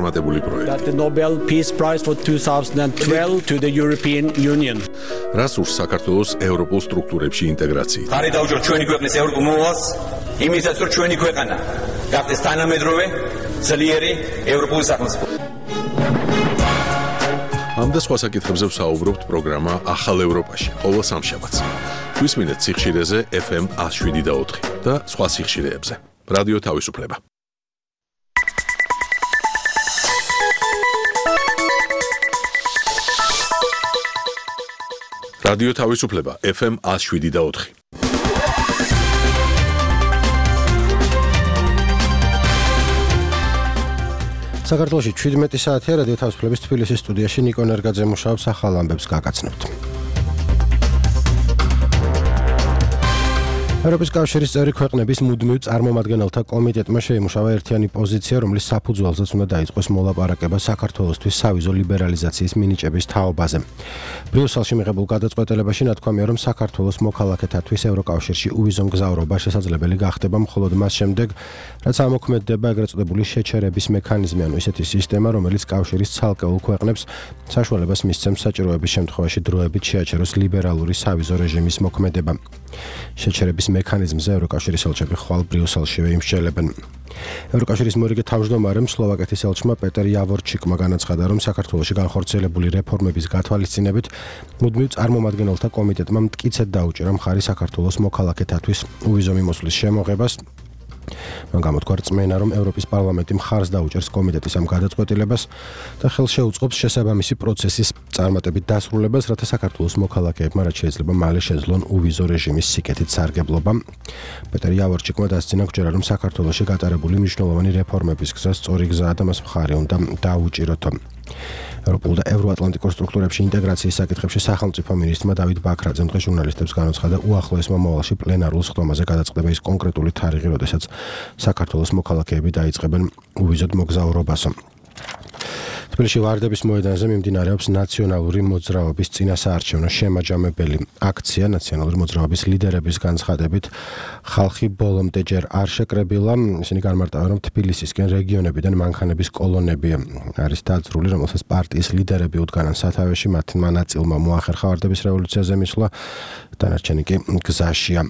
That the Nobel Peace Prize for 2012 to the European Union. Რასურს საქართველოს ევროპულ სტრუქტურებში ინტეგრაციით. ხარი დაუჭიროთ ჩვენი ქვეყნის ევროპულ მოვალს, იმისაც რომ ჩვენი ქვეყანა გახდეს თანამედროვე, ძლიერი ევროპული სახელმწიფო. ამ და სხვა საკითხებზე ვსაუბრობთ პროგრამა ახალ ევროპაში, ყოველ სამშაბათს. გვისმინეთ სიხშირეზე FM 107.4 და სხვა სიხშირეებზე. რადიო თავისუფლება. რადიო თავისუფლება FM 107.4. საქართველოში 17 საათია რადიო თავისუფლების თბილისის სტუდიაში ნიკო ნერგაძე მუშაობს ახალ ამბებს გაგაცნობთ. ევროპის კავშირის წევრი ქვეყნების მუდმივ წარმომადგენელთა კომიტეტმა შეიმუშავა ერთიანი პოზიცია, რომლის საფუძველზეც უნდა დაიწყოს მოლაპარაკება საქართველოსთვის სავიზო ლიბერალიზაციის მინიჭების თაობაზე. ბრიუსელში მიღებულ გადაწყვეტილებაში ნათქვამია, რომ საქართველოს მოქალაქეთათვის ევროკავშირში უვიზო მგზავრობა შესაძლებელი გახდება მხოლოდ მას შემდეგ, რაც ამოქმედდება ეგრეთ წოდებული შეჩერების მექანიზმი, ანუ ისეთი სისტემა, რომელიც კავშირის ცალკეულ ქვეყნებს საშუალებას მისცემს საჭიროების შემთხვევაში დროებით შეაჩეროს ლიბერალური სავიზო რეჟიმის მოქმედება. შეჩერების მექანიზმზე ევროკავშირის ელჩები ხვალ ბრიუსელშივე იმსჯელებენ. ევროკავშირის მორიგე თავმჯდომარემ სლოვაკეთის ელჩმა პეტერ იავორჩიკმა განაცხადა, რომ საქართველოში განხორციელებული რეფორმების გათვალისწინებით მუდმივ წარმომადგენელთა კომიტეტმა მტკიცედ დაუჭირა მხარი საქართველოს მოქალაქეთათვის უვიზო მიმოსვლის შემოღებას. მან გამოთქვა რწმენა, რომ ევროპის პარლამენტი მხარს დაუჭერს კომიტეტის ამ გადაწყვეტილებას და ხელს შეუწყობს შესაბამისი პროცესის წარმატებით დასრულებას, რათა საქართველოს მოქალაქეებმა რაც შეიძლება მალე შეძლონ უვიზო რეჟიმის სიკეთით სარგებლობა. პეტერ იავორჩიკმა დასძინა გჯერა, რომ საქართველოში გატარებული მნიშვნელოვანი რეფორმების გზა სწორი გზაა და მას მხარი უნდა დაუჭიროთ. ევროპულ და ევროატლანტიკურ სტრუქტურებში ინტეგრაციის საკითხებში სახელმწიფო მინისტრმა დავით ბაქრაძემ დღეს ჟურნალისტებს განაცხადა, უახლოეს მომავალში პლენარულ სხდომაზე გადაწყდება ის კონკრეტული თარიღი, როდესაც საქართველოს მოქალაქეები დაიწყებენ უვიზოდ მოგზაურობას. თბილისში ვარდების მოედანზე მიმდინარეობს ნაციონალური მოძრაობის წინასაარჩევნო შემაჯამებელი აქცია. ნაციონალური მოძრაობის ლიდერების განცხადებით, ხალხი ბოლომდე ჯერ არ შეკრებილა. ისინი განმარტავენ, რომ თბილისისკენ რეგიონებიდან მანქანების კოლონები არის დაძრული, რომელსაც პარტიის ლიდერები უდგანან სათავეში. მათმა ნაწილმა მოახერხა ვარდების რევოლუციაზე მისვლა, დანარჩენი კი გზაშია.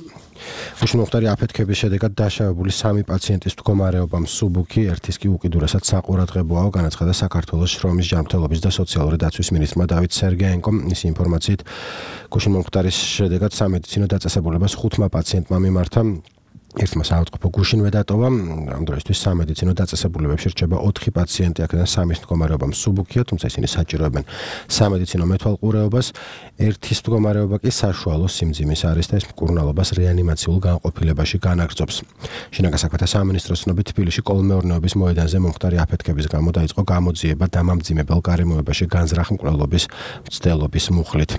უშუალოდ აფეთქების შედეგად დაშავებული 3 პაციენტის მდგომარეობა მსუბუქი, ერთის კი უკიდურესად საყურადღებოა, განაცხადა საქართველოს შრომის ჯანმრთელობის და სოციალური დაცვის მინისტრმა დავით სერგეენკომ. მისი ინფორმაციით, გუშინმოხტარის შედეგად სამედიცინო დაწესებულებას 5 პაციენტმა მიმართა. ერთმა საავადმყოფო გუშინვე დატოვა. ამ დროისთვის სამედიცინო დაწესებულებებში რჩება 4 პაციენტი, აქედან 3-ის მდგომარეობა მსუბუქია, თუმცა ისინი საჭიროებენ სამედიცინო მეთვალყურეობას. ერთის მდგომარეობა კი საშუალო სიმძიმის არის და ეს მკურნალობას რეანიმაციულ განყოფილებაში განაგრძობს. შინაგან საქმეთა სამინისტროს ცნობით, თბილისში კოლმეურნეობის მოედანზე მომხდარი აფეთქების გამო დაიწყო გამოძიება დამამძიმებელ გარემოებაში განზრახ მკვლელობის მცდელობის მუხლით.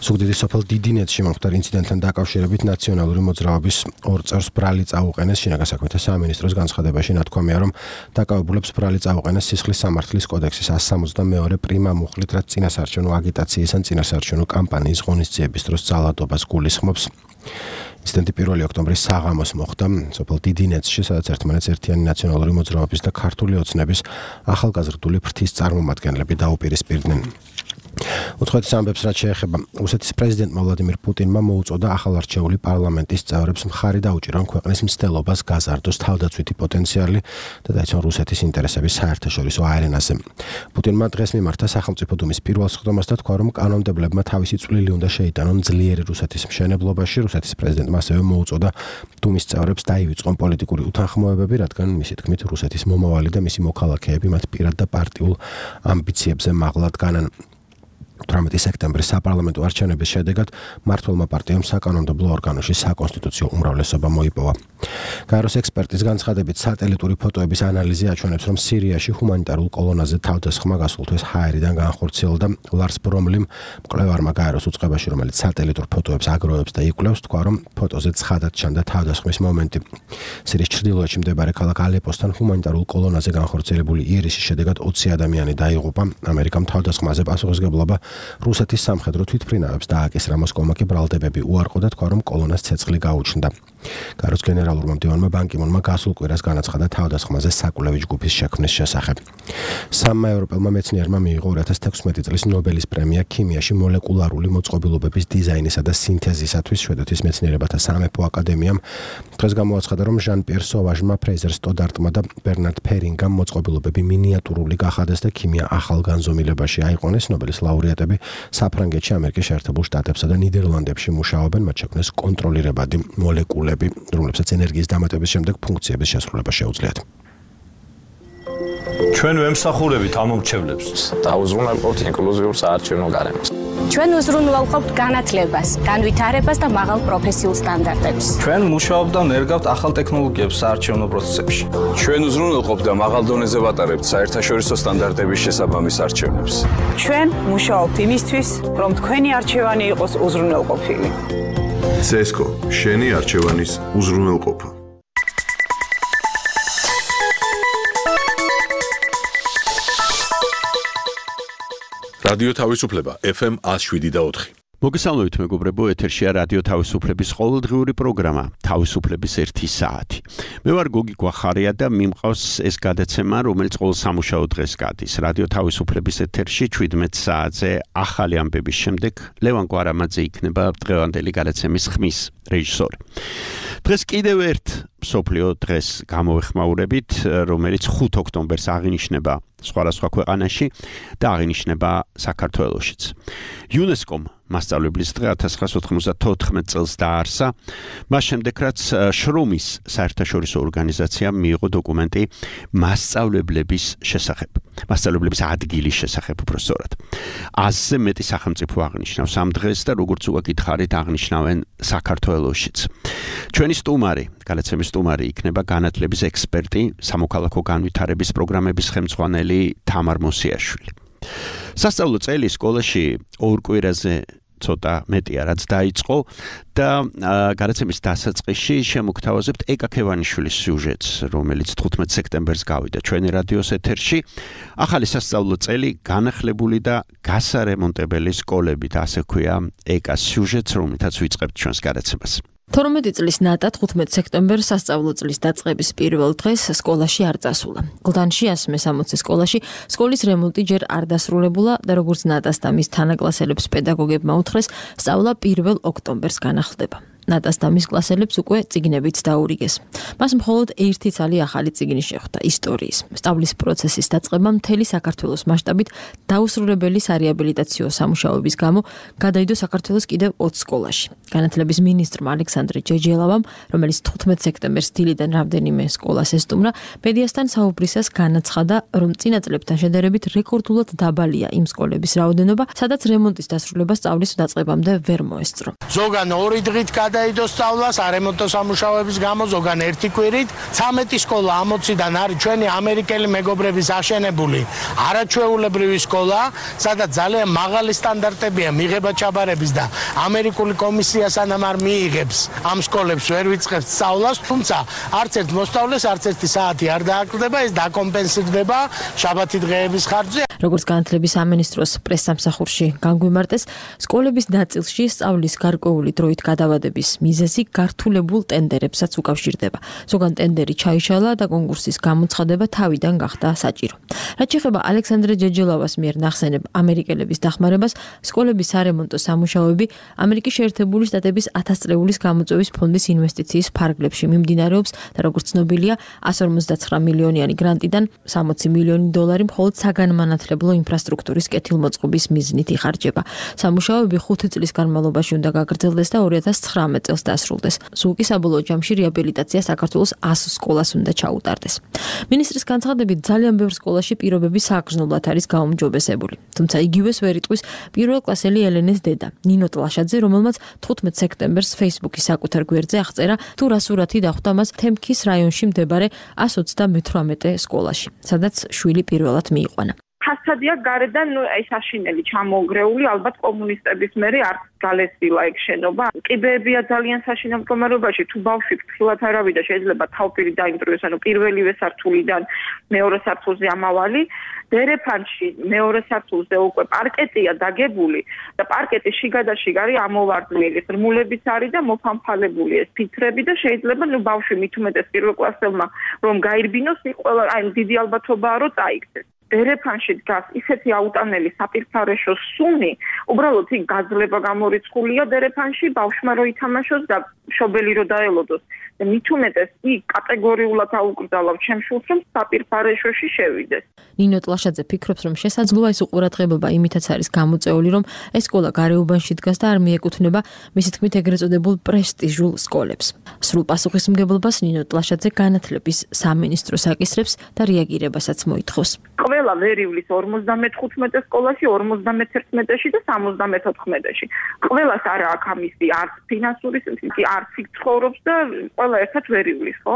სუგდიდის სოფელ დიდინეთში მომხდარ ინციდენტთან დაკავშირებით ნაციონალური მოძრაობის 2 წევრს ბრალი წაუყენეს. შინაგან საქმეთა სამინისტროს განცხადებაში ნათქვამია, რომ დაკავებულებს ბრალი წაუყენეს სისხლის სამართლის კოდექსის 162 პრიმა მუხლით, რაც წინასაარჩევნო აგიტაციის ან წინასაარჩევნო კამპანიის ღონისძიების დროს ძალადობას გულისხმობს. ინციდენტი 1 ოქტომბრის საღამოს მოხდა სოფელ დიდინეთში, სადაც ერთმანეთს ერთიანი ნაციონალური მოძრაობის და ქართული ოცნების ახალგაზრდული ფრთის წარმომადგენლები დაუპირისპირდნენ. უცხოეთის ამბებს რაც შეეხება რუსეთის პრეზიდენტმა ვლადიმირ პუტინმა მოუწოდა ახალარჩეული პარლამენტის წევრებს მხარი დაუჭირონ ქვეყნის მცდელობას გაზარდოს თავდაცვითი პოტენციალი და დაიცვან რუსეთის ინტერესების საერთაშორისო არენაზე. პუტინმა დღეს მიმართა სახელმწიფო დუმის პირველ სხდომას და თქვა, რომ კანონმდებლებმა თავისი წვლილი უნდა შეიტანონ ძლიერი რუსეთის მშენებლობაში. რუსეთის პრეზიდენტმა ასევე მოუწოდა დუმის წევრებს დაივიწყონ პოლიტიკური უთანხმოებები, რადგან მისი თქმით რუსეთის მომავალი და მისი მოქალაქეები მათ პირად და პარტიულ ამბიციებზე მაღლად განან. 18 სექტემბრის საპარლამენტო არჩევნების შედეგად მმართველმა პარტიამ საკანონმდებლო ორგანოში საკონსტიტუციო უმრავლესობა მოიპოვა. გაეროს ექსპერტის განცხადებით, სატელიტური ფოტოების ანალიზი აჩვენებს, რომ სირიაში ჰუმანიტარულ კოლონაზე თავდასხმა გასულ თვეს ჰაერიდან განხორციელდა. ლარს ბრომლიმ, მკვლევარმა გაეროს უწყებაში, რომელიც სატელიტურ ფოტოებს აგროვებს და იკვლევს, თქვა, რომ ფოტოზე ცხადად ჩანდა თავდასხმის მომენტი. სირიის ჩრდილოეთში მდებარე ქალაქ ალეპოსთან ჰუმანიტარულ კოლონაზე განხორციელებული იერიშის შედეგად 20 ადამიანი დაიღუპა. ამერიკამ თავდასხმაზე პასუხისმგებლობა რუსეთის სამხედრო თვითმფრინავებს დააკისრა. მოსკოვმა კი ბრალდებები უარყო და თქვა, რომ კოლონას ცეცხლი გაუჩნდა. გაროს გენერალურმა მდივანმა ბან კი მუნმა გასულ კვირას განაცხადა თავდასხმაზე საკვლევი ჯგუფის შექმნის შესახებ. სამმა ევროპელმა მეცნიერმა მიიღო 2016 წლის ნობელის პრემია ქიმიაში მოლეკულარული მოწყობილობების დიზაინისა და სინთეზისათვის. შვედეთის მეცნიერებათა სამეფო აკადემიამ დღეს გამოაცხადა, რომ ჟან-პიერ სოვაჟმა, ფრეიზერ სტოდარტმა და ბერნარდ ფერინგამ მოწყობილობები მინიატურული გახადეს და ქიმია ახალ განზომილებაში აიყვანეს. ნობელის ლაურეატები საფრანგეთში, ამერიკის შეერთებულ შტატებსა და ნიდერლანდებში მუშაობენ, მათ შექმნეს კონტროლირებადი მოლეკულები, რომლებსაც ენერგიის დამატების შემდეგ ფუნქციების შესრულება შეუძლიათ. ჩვენ ვემსახურებით ამ მომრჩევლებს და უზრუნველყოფთ ინკლუზიურ საარჩევნო გარემოს. ჩვენ უზრუნველყოფთ განათლებას, განვითარებას და მაღალ პროფესიულ სტანდარტებს. ჩვენ მუშაობთ და ნერგავთ ახალ ტექნოლოგიებს საარჩევნო პროცესებში. ჩვენ უზრუნველყოფთ და მაღალ დონეზე ვატარებთ საერთაშორისო სტანდარტების შესაბამის არჩევნებს. ჩვენ მუშაობთ იმისთვის, რომ თქვენი არჩევანი იყოს უზრუნველყოფილი. CESCO, შენი არჩევანის უზრუნველყოფა. რადიო თავისუფლება FM 107.4. მოგესალმებით მეგობრებო, ეთერშია რადიო თავისუფლების ყოველდღიური პროგრამა თავისუფლების 1 საათი. მე ვარ გოგი გვახარია და მიმყავს ეს გადაცემა, რომელიც ყოველ სამუშაო დღეს გადის. რადიო თავისუფლების ეთერში 17 საათზე ახალი ამბების შემდეგ ლევან კვარამაძე იქნება დღევანდელი გადაცემის ხმის რეჟისორი. დღეს კიდევ ერთ მსოფლიო დღეს გამოვეხმაურებით, რომელიც 5 ოქტომბერს აღინიშნება სხვადასხვა ქვეყანაში და აღინიშნება საქართველოშიც. იუნესკომ მასწავლებლის დღე 1994 წელს დაარსა, მას შემდეგ რაც შრომის საერთაშორისო ორგანიზაციამ მიიღო დოკუმენტი მასწავლებლების შესახებ, მასწავლებლების ადგილის შესახებ უბრალოდ. 100-ზე მეტი სახელმწიფო აღნიშნავს ამ დღეს და როგორც უგითხარით აღნიშნავენ საქართველოშიც. ჩვენი სტუმარი, გადაცემის სტუმარი იქნება განათლების ექსპერტი, სამოქალაქო განვითარების პროგრამების ხელმძღვანელი თამარ მოსიაშვილი. სასწავლო წელი სკოლაში 2 კვირაზე ცოტა მეტია რაც დაიწყო და გადაცემის დასაწყისში შემოგთავაზებთ ეკა ქევანიშვილის სიუჟეტს, რომელიც 15 სექტემბერს გავიდა ჩვენი რადიოს ეთერში. ახალი სასწავლო წელი განახლებული და გასარემონტებელი სკოლებით, ასე ქვია ეკას სიუჟეტს, რომელთაც ვიწყებთ ჩვენს გადაცემას. 12 წლის ნატა 15 სექტემბერს სასწავლო წლის დაწყების პირველ დღეს სკოლაში არ წასულა. გლდანში 160 სკოლაში სკოლის რემონტი ჯერ არ დასრულებულა და როგორც ნატას და მის თანაკლასელებს პედაგოგებმა უთხრეს, სწავლა 1 ოქტომბერს განახლდება. ნატას და მის კლასელებს უკვე წიგნებიც დაურიგეს. მას მხოლოდ ერთი ცალი ახალი წიგნი შეხვდა ისტორიის. სწავლის პროცესის დაწყება მთელი საქართველოს მასშტაბით დაუსრულებელი სარეაბილიტაციო სამუშაოების გამო გადაიდო საქართველოს კიდევ 20 სკოლაში. განათლების მინისტრმა ალექსანდრე ჯეჯელავამ, რომელიც 15 სექტემბერს დილიდან რამდენიმე სკოლას ესტუმრა, მედიასთან საუბრისას განაცხადა, რომ წინა წლებთან შედარებით რეკორდულად დაბალია იმ სკოლების რაოდენობა, სადაც რემონტის დასრულება სწავლის დაწყებამდე ვერ მოესწრო. ზოგან 2 დღით დაიდო სწავლა სარემონტო სამუშაოების გამო, ზოგან 1 კვირით. 13 სკოლა 60-დან არის ჩვენი ამერიკელი მეგობრების აშენებული არაჩვეულებრივი სკოლა, სადაც ძალიან მაღალი სტანდარტებია მიღება ჩაბარების და ამერიკული კომისია სანამ არ მიიღებს ამ სკოლებს ვერ ვიწყებთ სწავლას, თუმცა არც ერთ მოსწავლეს არც ერთი საათი არ დააკლდება, ეს დაკომპენსირდება შაბათი დღეების ხარჯზე. როგორც განათლების სამინისტროს პრესსამსახურში განგვიმარტეს, სკოლების ნაწილში სწავლის გარკვეული დროით გადავადების მიზეზი გართულებულ ტენდერებსაც უკავშირდება. ზოგან ტენდერი ჩაიშალა და კონკურსის გამოცხადება თავიდან გახდა საჭირო. რაც შეეხება ალექსანდრე ჯეჯელავას მიერ ნახსენებ ამერიკელების დახმარებას, სკოლების სარემონტო სამუშაოები ამერიკის შეერთებული შტატების 1000 წლეულის გამოწვევის ფონდის ინვესტიციის ფარგლებში მიმდინარეობს და როგორც ცნობილია, 159 მილიონიანი გრანტიდან 60 მილიონი დოლარი მხოლოდ საგანმანათლებლო ინფრასტრუქტურის კეთილმოწყობის მიზნით იხარჯება. სამუშაოები 5 წლის განმავლობაში უნდა გაგრძელდეს და 2019 წელს დასრულდეს. სულ კი საბოლოო ჯამში რეაბილიტაცია საქართველოს 100 სკოლას უნდა ჩაუტარდეს. მინისტრის განცხადებით, ძალიან ბევრ სკოლაში პირობები საგრძნობლად არის გაუმჯობესებული. თუმცა იგივეს ვერ იტყვის პირველკლასელი ელენეს დედა, ნინო ტლაშაძე, რომელმაც 15 სექტემბერს Facebook-ის საკუთარ გვერდზე აღწერა, თუ რა სურათი დახვდა მას თემქის რაიონში მდებარე 138 სკოლაში, სადაც შვილი პირველად მიიყვანა. კაცადია გარედან ეს აშინელი ჩამოგრეული, ალბათ კომუნისტების მერე არც გალესილა ეგ შენობა. კიბეებია ძალიან საშინელ მდგომარეობაში, თუ ბავშვი ფრთხილად არავიდა, შეიძლება თავპირი დაიმტრიოს, ანუ პირველივე სართულიდან მეორე სართულზე ამავალი. დერეფანში მეორე სართულზე უკვე პარკეტია დაგებული და პარკეტის შიგადაშიგ არის ამოვარდნილი, ღრმულებიც არის და მოფამფალებული ეს ფიცრები და შეიძლება ბავშვი მით უმეტეს პირველ კლასელმა რომ გაირბინოს, ყველა აი დიდი ალბათობაა რომ წაიქცეს. დერეფანში დგას ისეთი აუტანელი საპირფარეშო სუნი, უბრალოდ იქ გაძლება გამორიცხულია დერეფანში, ბავშვმა რო ითამაშოს და შობელი რო დაელოდოს. და მით უმეტეს იქ კატეგორიულად აუკრძალავ ჩემს შულს, რომ საპირფარეშოში შევიდეს. ნინო ტლაშაძე ფიქრობს, რომ შესაძლოა ეს უყურადღებობა იმითაც არის გამოწეული, რომ ეს სკოლა გარეუბანში დგას და არ მიეკუთვნება მისი თქმით ეგრეთ წოდებულ პრესტიჟულ სკოლებს. სრულ პასუხისმგებლობას ნინო ტლაშაძე განათლების სამინისტროს აკისრებს და რეაგირებასაც მოითხოვს. ყველა ვერივლის 55 სკოლაში, 51-ში და 74-ში. ყველას არა აქვს ამისი არც ფინანსური, არც იქ ცხოვრობს და ყველა ერთად ვერივლის, ხო?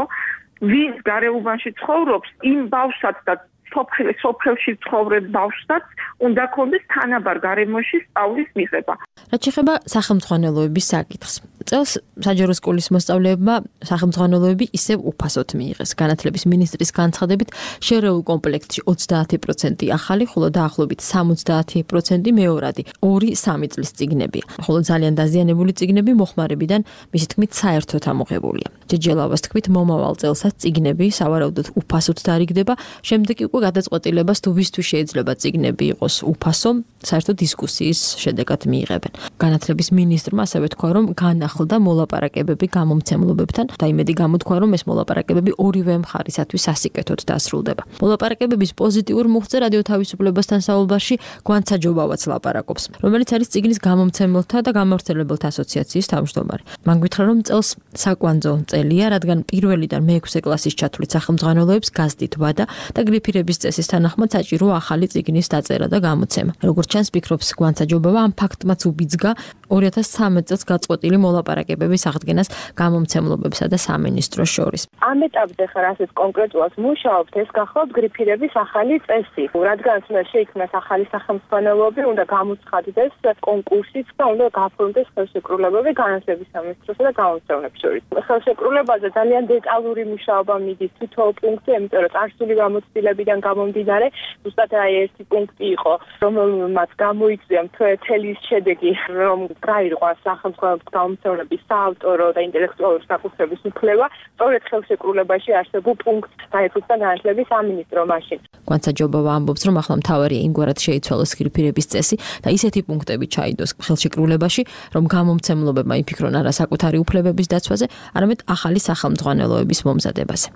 ვინც გარეუბანში ცხოვრობს, იმ ბავშვსაც და სოფელში ცხოვრებ ბავშვსაც უნდა ქონდეს თანაბარ გარემოში სწავლის მიღება. რაც შეეხება სახელმძღვანელოების საკითხს. წელს საჯარო სკოლის მოსწავლეებმა სახელმძღვანელოები ისევ უფასოდ მიიღეს. განათლების მინისტრის განცხადებით, შერეულ კომპლექტში 30% ახალი, ხოლო დაახლოებით 70% მეორადი, 2-3 წლის წიგნებია. ხოლო ძალიან დაზიანებული წიგნები მოხმარებიდან მისი თქმით საერთოდ ამოღებულია. ჯეჯელავას თქმით, მომავალ წელსაც წიგნები სავარაუდოდ უფასოდ დარიგდება, შემდეგ უკვე გადაწყვეტილებას თუ ვისთვის შეიძლება წიგნები იყოს უფასო, საერთოდ დისკუსიის შედეგად მიიღებენ. განათლების მინისტრმა ასევე თქვა, რომ განახლდა მოლაპარაკებები გამომცემლობებთან და იმედი გამოთქვა, რომ ეს მოლაპარაკებები ორივე მხარისათვის სასიკეთოდ დასრულდება. მოლაპარაკებების პოზიტიურ მუხტზე რადიო თავისუფლებასთან საუბარში გვანცაჯობავაც ლაპარაკობს, რომელიც არის წიგნის გამომცემელთა და გამავრცელებელთა ასოციაციის თავმჯდომარე. მან გითხრა, რომ წელს საკვანძო წელია, რადგან პირველიდან მე-6 კლასის ჩათვლით სახელმძღვანელოებს გაზდით ვადა და გრიფირების წესის თანახმად საჭირო ახალი წიგნის დაწერა და გამოცემა. როგორც ჩანს, ფიქრობს გვანცაჯობავა, ამ ფაქტმაც უბიძგა 2013 წელს გაწყვეტილი მოლაპარაკებების აღდგენას გამომცემლობებსა და სამინისტროს შორის. ამ ეტაპზე ხარ ასეთ კონკრეტულად მუშაობთ, ეს გახლავთ გრიფირების ახალი წესი. რადგან შეიქმნას ახალი სახელმძღვანელოები, უნდა გამოცხადდეს კონკურსიც და უნდა გაფორმდეს ხელშეკრულებები განათლების სამინისტროსა და გამომცემლებს შორის. ხელშეკრულებაზე ძალიან დეტალური მუშაობა მიდის თითოეულ პუნქტზე, იმიტომ რომ წარსული გამოცდილებიდან გამომდინარე, ზუსტად აი ერთი პუნქტი იყო, რომელმაც გამოიწვია მთელი შედეგი, რომ გაირღვა სახელმწიფო გამომცემლების საავტორო და ინტელექტუალური საკუთრების უფლება, სწორედ ხელშეკრულებაში არსებულ პუნქტს დაეფუძნა განათლების სამინისტრო მაშინ. გვანცაჯობავა ამბობს, რომ ახლა მთავარი იმგვარად შეიცვალოს გრიფირების წესი და ისეთი პუნქტები ჩაიდოს ხელშეკრულებაში, რომ გამომცემლობებმა იფიქრონ არა საკუთარი უფლებების დაცვაზე, არამედ ახალი სახელმძღვანელოების მომზადებაზე.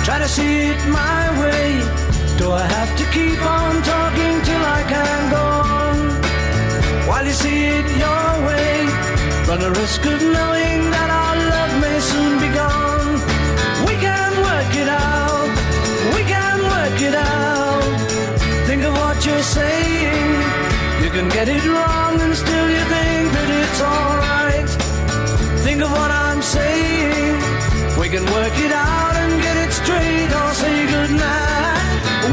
Try to see it my way. Do I have to keep on talking till I can go on? While you see it your way, run the risk of knowing that our love may soon be gone. We can work it out. We can work it out. Think of what you're saying. You can get it wrong and still you think that it's alright. Think of what I'm saying. We can work it out and get it straight or say goodnight.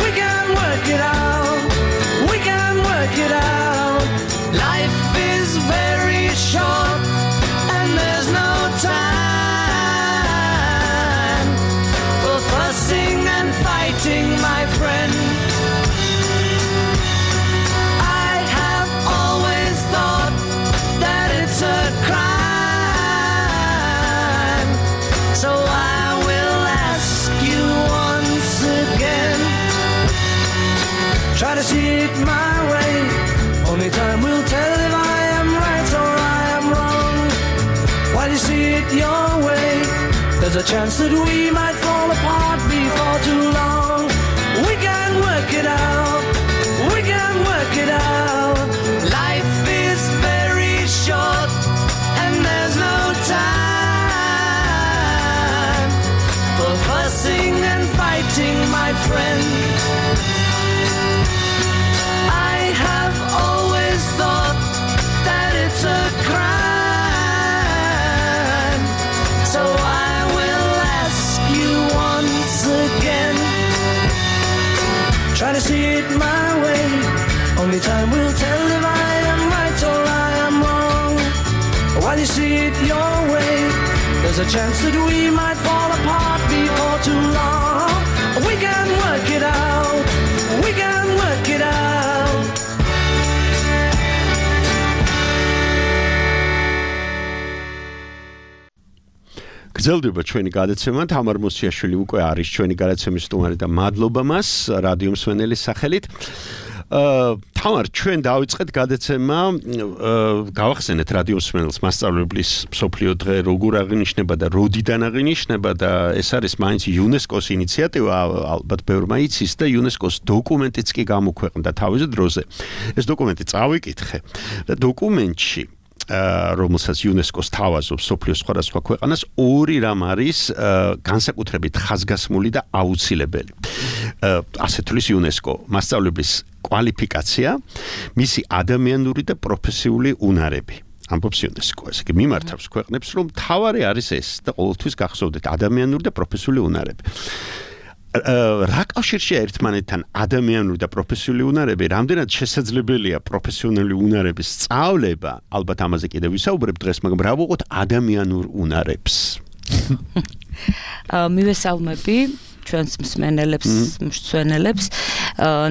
We can work it out. We can work it out. Life is very short and there's no time for fussing and fighting, my friend. I have always thought that it's a crime. So I will ask you once again. Try to see it my way. Only time will tell if I am right or I am wrong. While you see it your way, there's a chance that we might fall apart before too long. We can work it out. We can work it out. Life is very short and there's no time for fussing and fighting, my friend. I have always thought that it's a crime. So I will ask you once again. Try to see it my way. Only time will tell if I am right or I am wrong. While you see it your way, there's a chance that we might fall apart before too long. We can work it out. We can work it out. გრძელდება ჩვენი გადაცემა. თამარ მოსიაშვილი უკვე არის ჩვენი გადაცემის სტუმარი და მადლობა მას რადიო მსმენელის სახელით. თამარ, ჩვენ დავიწყეთ გადაცემა, გავახსენეთ რადიო მსმენელს მასწავლებლის მსოფლიო დღე როგორ აღინიშნება და როდიდან აღინიშნება და ეს არის მაინც იუნესკოს ინიციატივა, ალბათ ბევრმა იცის და იუნესკოს დოკუმენტიც კი გამოქვეყნდა თავის დროზე. ეს დოკუმენტი წავიკითხე და დოკუმენტში რომელსაც იუნესკოს თავაზობს მსოფლიოს სხვადასხვა ქვეყანას ორი რამ არის განსაკუთრებით ხაზგასმული და აუცილებელი. ასე თulis იუნესკო მასწავლებლის კვალიფიკაცია, მისი ადამიანური და პროფესიული უნარები. ამბობს იუნესკო, ესე იგი მიმართავს ქვეყნებს, რომ თავარი არის ეს და ყოველთვის გახსოვდეთ ადამიანური და პროფესიული უნარები. რა კავშირშია ერთმანეთთან ადამიანური და პროფესიული უნარები, რამდენად შესაძლებელია პროფესიონალური უნარების სწავლება, ალბათ ამაზე კიდევ ვისაუბრებ დღეს, მაგრამ რა ვუყოთ ადამიანურ უნარებს. მივესალმები ჩვენს მსმენელებს, მსწვენელებს,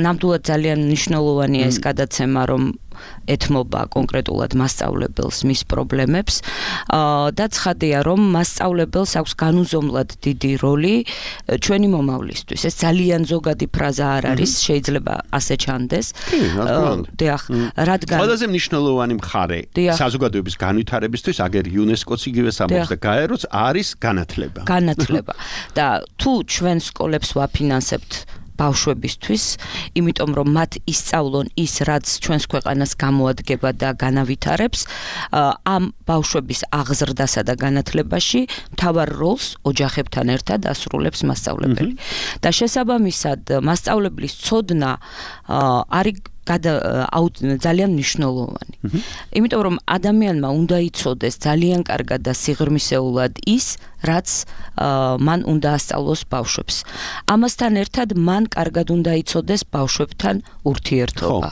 ნამდვილად ძალიან მნიშვნელოვანია ეს გადაცემა, რომ ეთმობა კონკრეტულად მასწავლებელს მის პრობლემებს და ცხადია, რომ მასწავლებელს აქვს განუზომლად დიდი როლი ჩვენი მომავლისთვის. ეს ძალიან ზოგადი ფრაზა არ არის, შეიძლება ასე ჩანდეს. დიახ, რადგან ყველაზე მნიშვნელოვანი მხარე საზოგადოების განვითარებისთვის, აგერ იუნესკოც იგივე ამბობს და გაეროც არის განათლება. განათლება. და თუ ჩვენ სკოლებს ვაფინანსებთ ბავშვებისთვის, იმიტომ რომ მათ ისწავლონ ის, რაც ჩვენს ქვეყანას გამოადგება და განავითარებს, ამ ბავშვების აღზრდასა და განათლებაში მთავარ როლს ოჯახებთან ერთად ასრულებს მასწავლებელი. და შესაბამისად, მასწავლებლის ცოდნა არის ძალიან მნიშვნელოვანი. იმიტომ რომ ადამიანმა უნდა იცოდეს ძალიან კარგად და სიღრმისეულად ის, რაც მან უნდა ასწავლოს ბავშვებს. ამასთან ერთად მან კარგად უნდა იცოდეს ბავშვებთან ურთიერთობა.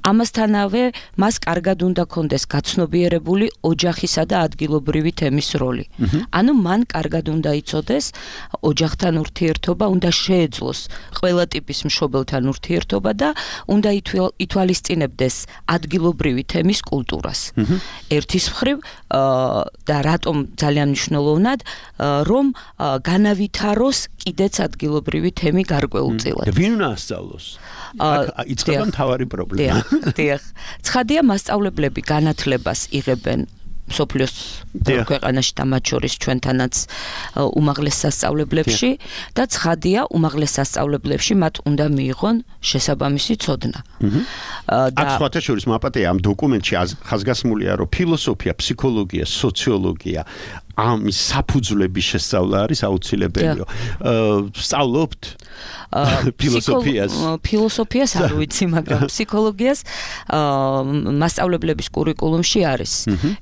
ამასთანავე მას კარგად უნდა ქონდეს გაცნობიერებული ოჯახისა და ადგილობრივი თემის როლი. ანუ მან კარგად უნდა იცოდეს ოჯახთან ურთიერთობა, უნდა შეეძლოს ყველა ტიპის მშობელთან ურთიერთობა და უნდა ითვალისწინებდეს ადგილობრივი თემის კულტურას. ერთის მხრივ და რატომ ძალიან მნიშვნელოვნად, რომ განავითაროს კიდეც ადგილობრივი თემი გარკვეულწილად. და ვინ უნდა ასწავლოს? იწყება მთავარი პრობლემა. დიახ. ცხადია, მასწავლებლები განათლებას იღებენ მსოფლიოს ქვეყანაში და მათ შორის ჩვენთანაც უმაღლეს სასწავლებლებში და ცხადია, უმაღლეს სასწავლებლებში მათ უნდა მიიღონ შესაბამისი ცოდნა. აქ სხვათა შორის მაპატია ამ დოკუმენტში ხაზგასმულია, რომ ფილოსოფია, ფსიქოლოგია, სოციოლოგია ამის საფუძვლების შესწავლა არის აუცილებელია. სწავლობთ ფილოსოფიას? ფილოსოფიას არ ვიცი, მაგრამ ფსიქოლოგიას მასწავლებლების კურიკულუმში არის.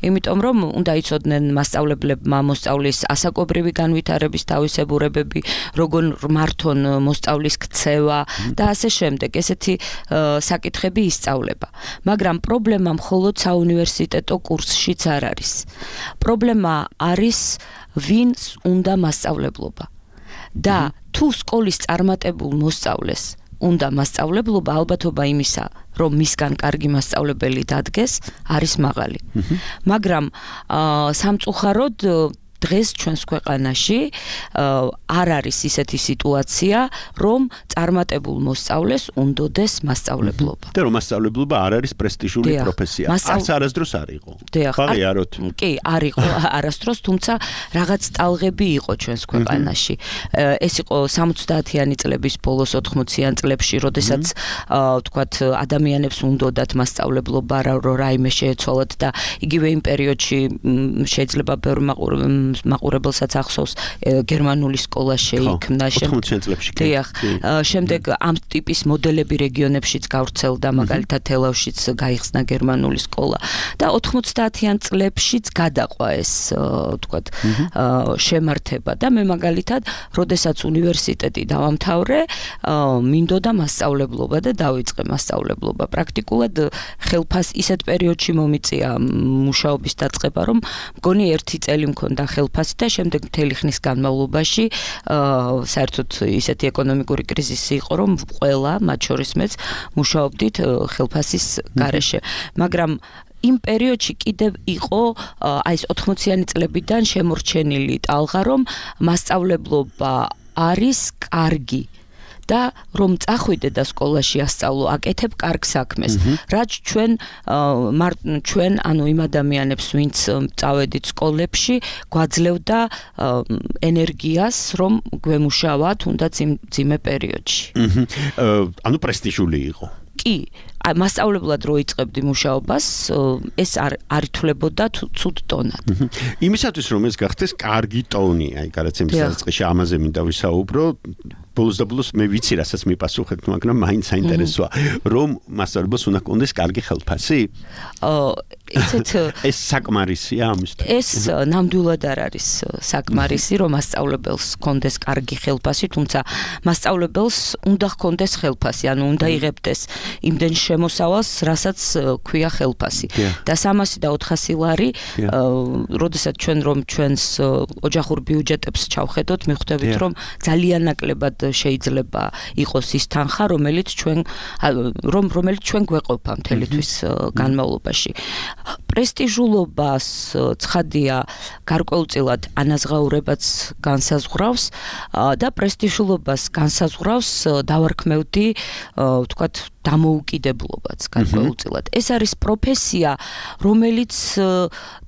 იმიტომ რომ უნდა იცოდნენ მასწავლებლებმა მოსწავლის ასაკობრივი განვითარების თავისებურებები, როგორ მართონ მოსწავლის ქცევა და ასე შემდეგ. ესეთი საკითხები ისწავლება. მაგრამ პრობლემა მხოლოდ საუნივერსიტეტო კურსშიც არ არის. პრობლემა არის ვინს უნდა მასწავლებლობა. და თუ სკოლის წარმატებულ მოსწავლეს უნდა მასწავლებლობა, ალბათობა იმისა, რომ მისგან კარგი მასწავლებელი დადგეს, არის მაღალი. მაგრამ სამწუხაროდ დღეს ჩვენს ქვეყანაში არ არის ისეთი სიტუაცია, რომ წარმატებულ მოსწავლეს უნდოდეს მასწავლებლობა. და რომ მასწავლებლობა არ არის პრესტიჟული პროფესია. არც არასდროს არ იყო. ხარიაროთ. კი, არ იყო არასდროს, თუმცა რაღაც ტალღები იყო ჩვენს ქვეყანაში. ეს იყო 70-იანი წლების ბოლოს 80-იან წლებში, როდესაც ვთქვათ, ადამიანებს უნდოდათ მასწავლებლობა, რომ რაიმე შეეცვალათ და იგივე იმ პერიოდში შეიძლება ბევრ მაყურებელსაც ახსოვს გერმანული სკოლა შეიქმნა შემდეგ ამ ტიპის მოდელები რეგიონებშიც გავრცელდა მაგალითად თელავშიც გაიხსნა გერმანული სკოლა და 90-იან წლებშიც გადაყვა ეს თქვათ შემართება და მე მაგალითად როდესაც უნივერსიტეტი დავამთავრე მინდოდა მასწავლებლობა და დავიწყე მასწავლებლობა პრაქტიკულად ხელფას ისეთ პერიოდში მომიწია მუშაობის დაწყება რომ მგონი 1 წელი მქონდა ხელფასი და შემდეგ მთელი ხნის განმავლობაში საერთოდ ისეთი ეკონომიკური კრიზისი იყო რომ ყველა მათ შორის მეც მუშაობდით ხელფასის გარეშე მაგრამ იმ პერიოდში კიდევ იყო აი ეს 80-იანი წლებიდან შემორჩენილი ტალღა რომ მასწავლებლობა არის კარგი და რომ წახვიდე და სკოლაში ასწავლო, აკეთებ კარგ საქმეს. რაც ჩვენ ანუ იმ ადამიანებს, ვინც წავედით სკოლებში, გვაძლევდა ენერგიას, რომ გვემუშავა თუნდაც იმ ძიმე პერიოდში. ანუ პრესტიჟული იყო. კი, მასწავლებლად რო იწყებდი მუშაობას, ეს არ ითვლებოდა ცუდ ტონად. იმისათვის რომ ეს გახდეს კარგი ტონი, აი გადაცემის დასაწყისში ამაზე მინდა ვისაუბრო. ბოლოს მე ვიცი, რასაც მიპასუხეთ, მაგრამ მაინც საინტერესოა, რომ მასწავლებელს უნდა კონდეს კარგი ხელფასი? ეს საკმარისია ამისთვის. ეს ნამდვილად არ არის საკმარისი, რომ მასწავლებელს კონდეს კარგი ხელფასი, თუმცა მასწავლებელს უნდა ჰქონდეს ხელფასი, ანუ უნდა იღებდეს იმდენ შემოსავალს, რასაც ქვია ხელფასი. და 300 და 400 ლარი, როდესაც ჩვენს ოჯახურ ბიუჯეტებს ჩავხედოთ, მიხვდებით, რომ ძალიან ნაკლებად შეიძლება იყოს ის თანხა, რომელიც ჩვენ გვეყოფა მთელი თვის განმავლობაში. პრესტიჟულობას ცხადია გარკვეულწილად ანაზღაურებაც განსაზღვრავს და პრესტიჟულობას განსაზღვრავს დავარქმევდი ვთქვათ დამოუკიდებლობაც გარკვეულწილად. ეს არის პროფესია, რომელიც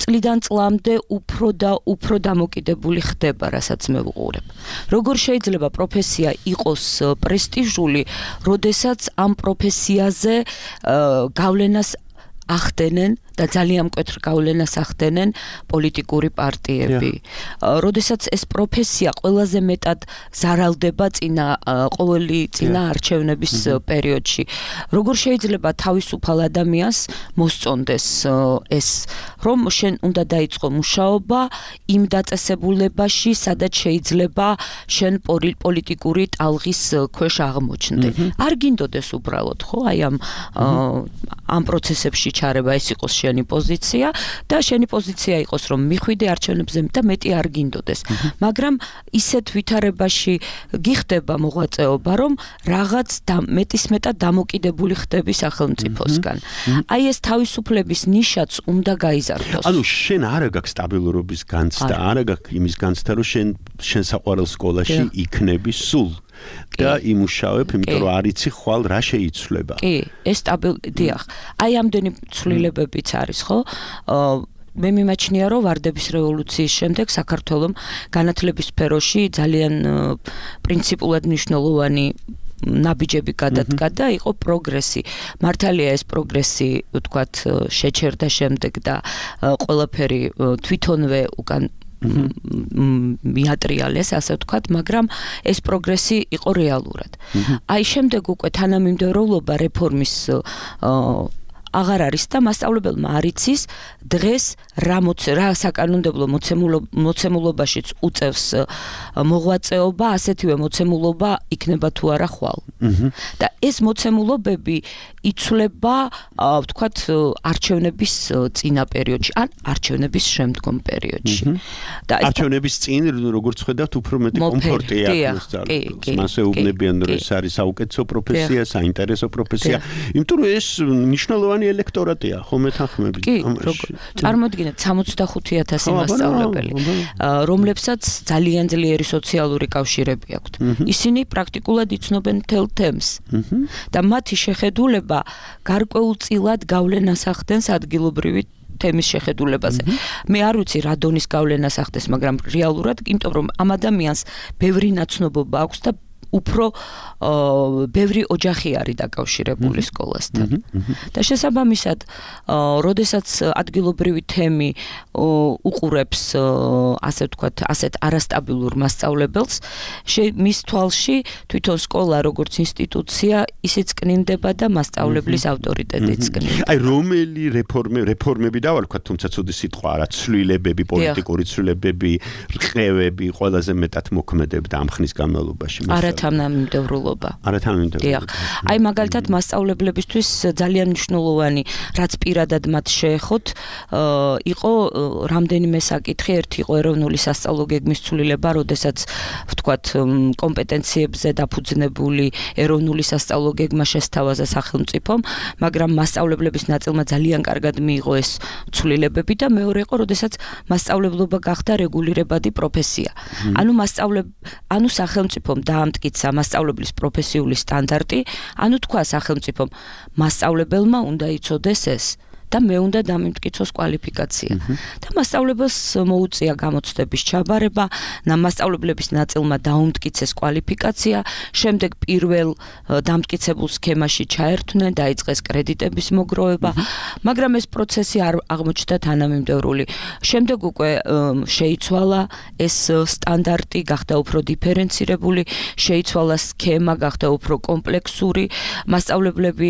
წლიდან წლამდე უფრო დამოუკიდებული ხდება, რასაც მე ვუყურებ. როგორ შეიძლება პროფესია იყოს პრესტიჟული, როდესაც ამ პროფესიაზე გავლენას ახდენენ და ძალიან მკვეთრ გავლენას ახდენენ პოლიტიკური პარტიები. როდესაც ეს პროფესია ყველაზე მეტად ზარალდება ყოველი წინა არჩევნების პერიოდში. როგორ შეიძლება თავისუფალ ადამიანს მოსწონდეს ეს, რომ შენ უნდა დაიწყო მუშაობა იმ დაწესებულებაში, სადაც შეიძლება შენ პოლიტიკური ტალღის ქვეშ აღმოჩნდე. არ გინდოდეს უბრალოდ, ხო, აი ამ პროცესებში ჩარევა ეს იყოს შენი პოზიცია და შენი პოზიცია იყოს რომ მიხვიდე არჩევნებზე და მეტი არ გინდოდეს. მაგრამ ისეთ ვითარებაში გიხდება მოღვაწეობა, რომ რაღაც მეტისმეტად დამოკიდებული ხდები სახელმწიფოსგან. აი ეს თავისუფლების ნიშაც უნდა გაიზარდოს. ანუ შენ არა გაქვს სტაბილურობის განცდა, არა გაქვს იმის განცდა, რომ შენ საყვარელ სკოლაში იქნები სულ. და იმუშავებ, იმიტომ რომ არ იცი ხვალ რა შეიცვლება. კი, ეს დიახ. აი ამდენი ცვლილებებიც არის, ხო? მე მიმაჩნია, რომ ვარდების რევოლუციის შემდეგ საქართველოს განათლების სფეროში ძალიან პრინციპულად მნიშვნელოვანი ნაბიჯები გადადგა და იყო პროგრესი. მართალია ეს პროგრესი, ვთქვათ, შეჩერდა შემდეგ და ყველაფერი თვითონვე უკან მიატრიალეს, ასე ვთქვათ, მაგრამ ეს პროგრესი იყო რეალურად. აი შემდეგ უკვე თანამიმდევრობა რეფორმის აღარ არის და მასწავლებელმა არ იცის დღეს რა საკანონმდებლო მოცემულობაშიც უწევს მოღვაწეობა, ასეთივე მოცემულობა იქნება თუ არა ხვალ. და ეს მოცემულობები იცვლება, ვთქვათ, არჩევნების წინა პერიოდში, ან არჩევნების შემდგომ პერიოდში. არჩევნების წინ, როგორც ხედავთ, უფრო მეტი კომფორტი აქვს სწავლულს. მასე უბნებიან, რომ ეს არის საუკეთესო პროფესია, საინტერესო პროფესია, იმიტომ რომ ეს მნიშვნელოვანი ელექტორატია, ხომ ეთანხმებით? კი, წარმოიდგინეთ 65,000 მასწავლებელი, რომლებსაც ძალიან ძლიერი სოციალური კავშირები აქვთ. ისინი პრაქტიკულად იცნობენ მთელ თემს და მათი შეხედულება გარკვეულწილად გავლენას ახდენს ადგილობრივი თემის შეხედულებაზე. მე არ ვიცი რა დონის გავლენას ახდენს, მაგრამ რეალურად, იმიტომ რომ ამ ადამიანს ბევრი ნაცნობობა აქვს და უფრო ბევრი ოჯახი არის დაკავშირებული სკოლასთან. და შესაბამისად, როდესაც ადგილობრივი თემი უყურებს ასე ვთქვათ, ასეთ არასტაბილურ მასწავლებელს, მის თვალში თვითონ სკოლა როგორც ინსტიტუცია ისიც კნინდება და მასწავლებლის ავტორიტეტიც კნინდება. აი რომელი რეფორმები დავარქვათ, თუმცა ცუდი სიტყვა არა, ცვლილებები, პოლიტიკური ცვლილებები, რყევები ყველაზე მეტად მოქმედებდა ამ ხნის განმავლობაში. არათანამიმდევრულობა. აი მაგალითად მასწავლებლებისთვის ძალიან მნიშვნელოვანი, რაც პირადად მათ შეეხოთ, იყო რამდენიმე საკითხი, ერთი იყო ეროვნული სასწავლო გეგმის ცვლილება, როდესაც ვთქვათ კომპეტენციებზე დაფუძნებული ეროვნული სასწავლო გეგმა შესთავაზა სახელმწიფომ, მაგრამ მასწავლებლების ნაწილმა ძალიან კარგად მიიღო ეს ცვლილებები და მეორე იყო, როდესაც მასწავლებლობა გახდა რეგულირებადი პროფესია. ანუ სახელმწიფომ დაამტკიცა მასწავლებლის პროფესიული სტანდარტი, ანუ თქვა სახელმწიფომ მასწავლებელმა უნდა იცოდეს ეს და მე უნდა დამიმტკიცოს კვალიფიკაცია. და მასწავლებელს მოუწია გამოცდების ჩაბარება, მასწავლებლების ნაწილმა დაუმტკიცეს კვალიფიკაცია, შემდეგ პირველ დამტკიცებულ სქემაში ჩაერთვნენ, დაიწყეს კრედიტების მოგროვება, მაგრამ ეს პროცესი არ აღმოჩნდა თანამიმდევრული. შემდეგ უკვე შეიცვალა ეს სტანდარტი, გახდა უფრო დიფერენცირებული, შეიცვალა სქემა, გახდა უფრო კომპლექსური, მასწავლებლები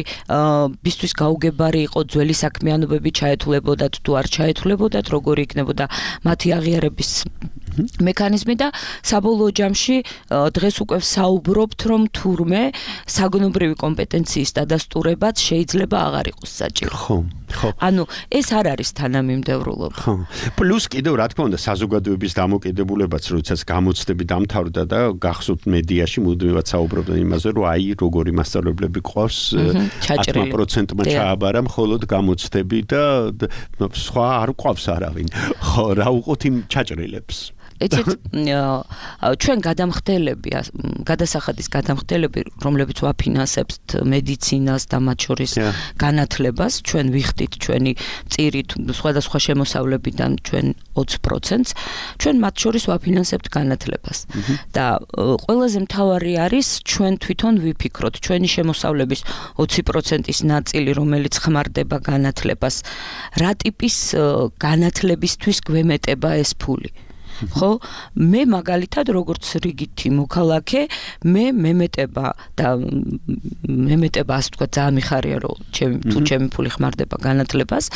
ბისთვის გაუგებარი იყო ძველი საქმე ჩაეთვლებოდათ თუ არ ჩაეთვლებოდათ, როგორი იქნებოდა მათი აღიარების მექანიზმი და საბოლოო ჯამში დღეს უკვე საუბრობთ, რომ თურმე საგნობრივი კომპეტენციის დადასტურებაც შეიძლება აღარ იყოს საჭირო. ხო. ანუ ეს არ არის თანამიმდევრულობა. ხო. პლუს კიდევ რა თქმა უნდა საზოგადოების დამოკიდებულებაც, როდესაც გამოცდები დამთავრდა და გახსოვთ მედიაში მუდმივად საუბრობდნენ იმაზე, რომ აი როგორი მასწავლებლები ყავს 10%-მა ჩააბარა მხოლოდ გამოცდები და სხვა არ ყავს არავინ. ხო, რა უყოთ იმ ჩაჭრილებს? ეცეთ ჩვენ გადამხდელები, გადასახადის გადამხდელები, რომლებიც ვაფინანსებთ მედიცინას და მათ შორის განათლებას, ჩვენ ვიხდით ჩვენი წირით სხვადასხვა შემოსავლებიდან ჩვენ 20%-ს, ჩვენ მათ შორის ვაფინანსებთ განათლებას. და ყველაზე მთავარი არის ჩვენ თვითონ ვიფიქროთ ჩვენი შემოსავლების 20%-ის ნაწილი, რომელიც ხმარდება განათლებას, რა ტიპის განათლებისთვის გვემეტება ეს ფული. ხო, მე მაგალითად როგორც რიგითი მოქალაქე, მე მემეტება ასე ვთქვათ, ძალიან მიხარია რომ ჩემი ფული ხმარდება განათლებას,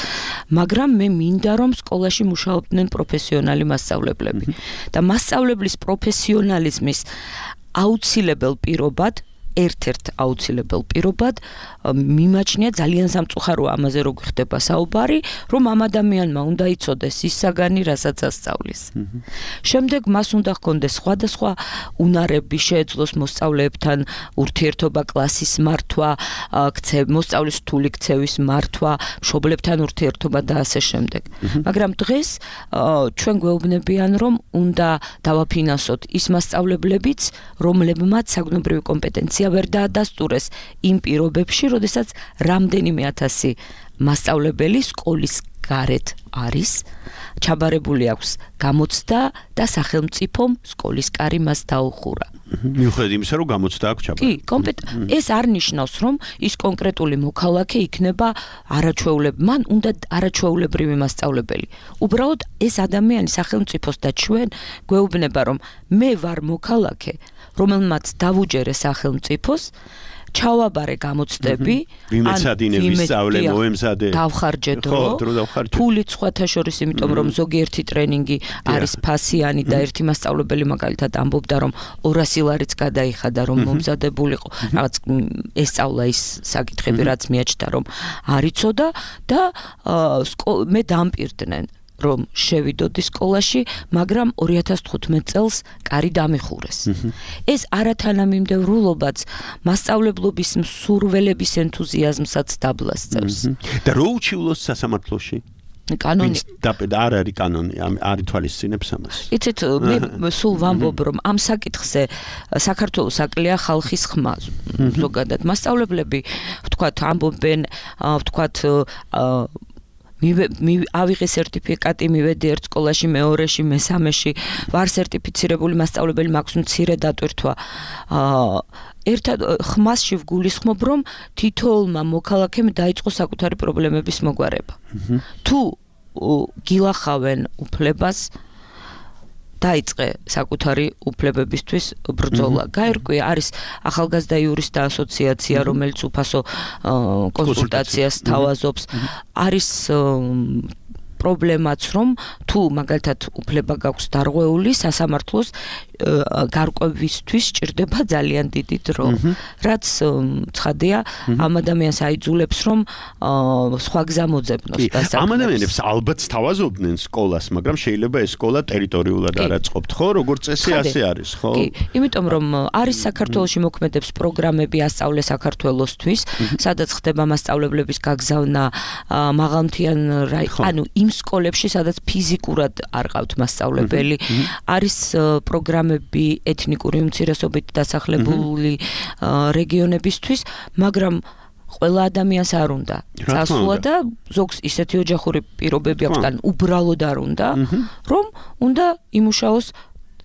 მაგრამ მე მინდა რომ სკოლაში მუშაობდნენ პროფესიონალი მასწავლებლები და მასწავლებლის პროფესიონალიზმის აუცილებელ პირობად ერთ-ერთ აუცილებელ პირობად მიმაჩნია ძალიან სამწუხაროა ამაზე რო გვხდება საუბარი, რომ ამ ადამიანმა უნდა იცოდეს ის საგანი, რასაც ასწავლის. შემდეგ მას უნდა ჰქონდეს სხვადასხვა უნარები, შეეძლოს მოსწავლეებთან ურთიერთობა, კლასის მართვა, მოსწავლის რთული ქცევის მართვა, მშობლებთან ურთიერთობა და ასე შემდეგ. მაგრამ დღეს ჩვენ გვეუბნებიან, რომ უნდა დავაფინანსოთ ის მასწავლებლებიც, რომლებმაც საგნობრივი კომპეტენცია ვერ დაადასტურეს იმ პირობებში, როდესაც რამდენიმე ათასი მასწავლებელი სკოლის გარეთ არის, ჩაბარებული აქვს გამოცდა და სახელმწიფომ სკოლის კარი მას დაუხურა. მიუხედავად იმისა, რომ გამოცდა აქვს ჩაბარებული. კი, ეს არ ნიშნავს, რომ ის კონკრეტული მოქალაქე იქნება მან უნდა არაჩვეულებრივი მასწავლებელი. უბრალოდ ეს ადამიანი სახელმწიფოს და ჩვენ გვეუბნება, რომ მე ვარ მოქალაქე, რომელმაც დავუჯერე სახელმწიფოს, ჩავაბარე გამოცდები, ვიმეცადინე, ვისწავლე, მოემზადე, დავხარჯე დრო, ფულით სხვათა შორის, იმიტომ რომ ზოგიერთი ტრენინგი არის ფასიანი და ერთი მასწავლებელი მაგალითად ამბობდა, რომ 200 ლარიც გადაიხადა, რომ მომზადებულიყო, რაღაც ესწავლა ის საკითხები, რაც მიაჩნდა, რომ არ იცოდა და მე დამპირდნენ რომ შევიდოდი სკოლაში, მაგრამ 2015 წელს კარი დამიხურეს. ეს არათანამიმდევრულობაც მასწავლებლობის მსურველების ენთუზიაზმსაც დაბლას წევს. და რო უჩივლოს სასამართლოში? კანონი არ არის კანონი, არ ითვალისწინებს ამას. იცით, მე სულ ვამბობ, რომ ამ საკითხზე საქართველოს აკლია ხალხის ხმა ზოგადად. მასწავლებლები, ვთქვათ, ამბობენ, ვთქვათ, ავიღე სერტიფიკატი, მივედი ერთ სკოლაში, მეორეში, მესამეში, ვარ სერტიფიცირებული მასწავლებელი, მაქვს მცირე დატვირთვა. ერთად ხმასში ვგულისხმობ, რომ თითოეულმა მოქალაქემ დაიწყო საკუთარი პრობლემების მოგვარება. თუ გილახავენ უფლებას, დაიწყე საკუთარი უფლებებისთვის ბრძოლა. გაერკვე არის ახალგაზრდა იურისტთა ასოციაცია, რომელიც უფასო კონსულტაციას თავაზობს. არის პრობლემაც, რომ თუ მაგალითად უფლება გაქვს დარღვეული, სასამართლოს გარკვევისთვის სჭირდება ძალიან დიდი დრო. რაც ცხადია, ამ ადამიანს აიძულებს, რომ სხვა გზა მოძებნოს დასაქმებას. ამ ადამიანებს ალბათ თავაზობდნენ სკოლას, მაგრამ შეიძლება ეს სკოლა ტერიტორიულად არ აწყობთ, ხო? როგორც წესი ასე არის, ხო? კი, იმიტომ რომ არის საქართველოში მოქმედებს პროგრამები ასწავლე საქართველოსთვის, სადაც ხდება მასწავლებლების გაგზავნა მაღალმთიან ანუ იმ სკოლებში, სადაც ფიზიკურად არ ყავთ მასწავლებელი, არის პროგრამები ეთნიკური უმცირესობით დასახლებული რეგიონებისთვის, მაგრამ ყველა ადამიანს არ უნდა წასვლა და ზოგს ისეთი ოჯახური პირობები აქვს და უბრალოდ არ უნდა, რომ უნდა იმუშაოს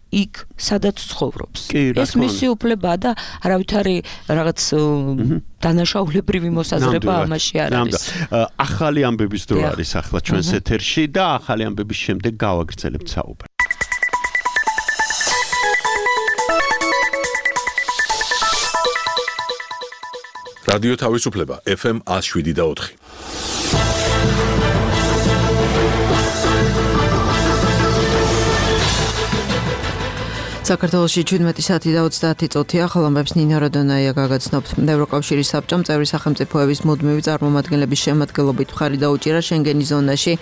იქ, სადაც ცხოვრობს. ეს მისი უფლებაა და არავითარი რაღაც დანაშაულებრივი მოსაზრება ამაში არ არის. ახალი ამბების დრო არის ახლა ჩვენს ეთერში და ახალი ამბების შემდეგ გავაგრძელებთ საუბარს. რადიო თავისუფლება FM 107.4. საქართველოში 17 საათი და 30 წუთია ხალხებს ნინა როდონაია გაგაცნობთ. ევროკავშირის საბჭომ წევრი სახელმწიფოების მუდმივი წარმომადგენლების შემადგენლობით მხარი დაუჭირა შენგენის ზონაში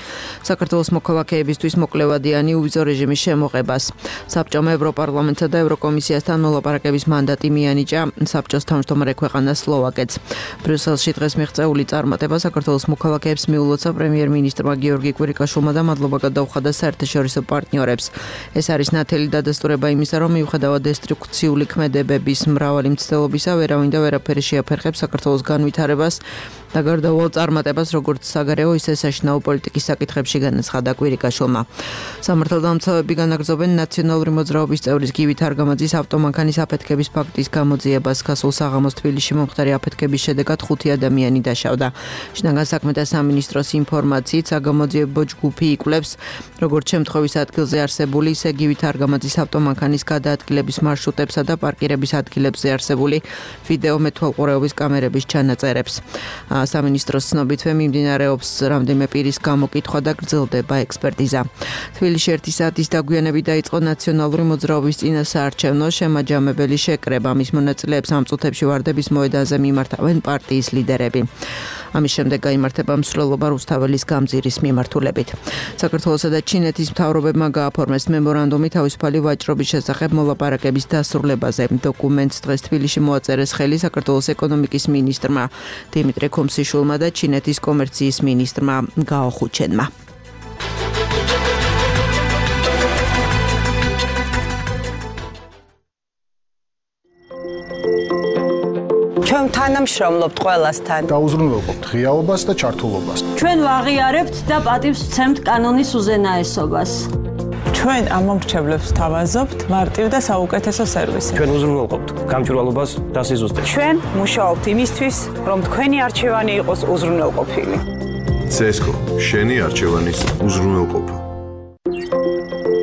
საქართველოს მოქალაქეებისთვის მოკლევადიანი უვიზო რეჟიმის შემოღებას. საბჭომ ევროპარლამენტსა და ევროკომისიასთან მოლაპარაკების მანდატი მიანიჭა საბჭოს თავმჯდომარე ქვეყანას სლოვაკეთს. ბრიუსელში დღეს მიღწეული წარმატება საქართველოს მოქალაქეებს მიულოცა პრემიერ-მინისტრმა გიორგი კვირიკაშვილმა და მადლობა გადაუხადა საერთაშორისო პარტნიორებს. ეს არის ნათელი დადასტურება იმისა, რომ მიუხედავად დესტრუქციული ქმედებების მრავალი მცდელობისა, ვერავინ და ვერაფერი შეაფერხებს საქართველოს განვითარებას და გარდაუვალ წარმატებას, როგორც საგარეო, ისე საშინაო პოლიტიკის საკითხებში განაცხადა კვირიკაშვილმა. სამართალდამცავები განაგრძობენ ნაციონალური მოძრაობის წევრის გივით არგამაძის ავტომანქანის აფეთქების ფაქტის გამოძიებას. გასულ საღამოს თბილისში მომხდარი აფეთქების შედეგად 5 ადამიანი დაშავდა. შინაგან საქმეთა სამინისტროს ინფორმაციით, საგამოძიებო ჯგუფი იკვლევს, როგორც შემთხვევის ადგილზე არსებული, ისე გივით არგამაძის ავტომანქანის გადაადგილების მარშრუტებსა და პარკირების ადგილებზე არსებული ვიდეო მეთვალყურეობის კამერების ჩანაწერებს. სამინისტროს ცნობითვე მიმდინარეობს რამდენიმე პირის გამოკითხვა და გრძელდება ექსპერტიზა. თბილისში 1 საათის დაგვიანებით დაიწყო ნაციონალური მოძრაობის წინასაარჩევნო შემაჯამებელი შეკრება. მის მონაწილეებს ამ წუთებში ვარდების მოედანზე მიმართავენ პარტიის ლიდერები. ამის შემდეგ გაიმართება მსვლელობა რუსთაველის გამზირის მიმართულებით. საქართველოსა და ჩინეთის მთავრობებმა გააფორმეს მემორანდუმი თავისუფალი ვაჭრობის შესახებ მოლაპარაკების დასრულებაზე. დოკუმენტს დღეს თბილისში მოაწერეს ხელი საქართველოს ეკონომიკის მინისტრმა დიმიტრი ქომსიშვილმა და ჩინეთის კომერციის მინისტრმა გაო ხუჩენმა. ჩვენ თანამშრომლობთ ყველასთან. დაუზრუნველყოფთ ღიაობას და ჩართულობას. ჩვენ ვაღიარებთ და პატივს ვცემთ კანონის უზენაესობას. ჩვენ ამომრჩევლებს თავაზობთ მარტივ და საუკეთესო სერვისი. ჩვენ უზრუნველყოფთ გამჭვირვალობას და სიზუსტეს. ჩვენ მუშაობთ იმისთვის, რომ თქვენი არჩევანი იყოს უზრუნველყოფილი. CESCO შენი არჩევანის უზრუნველყოფა.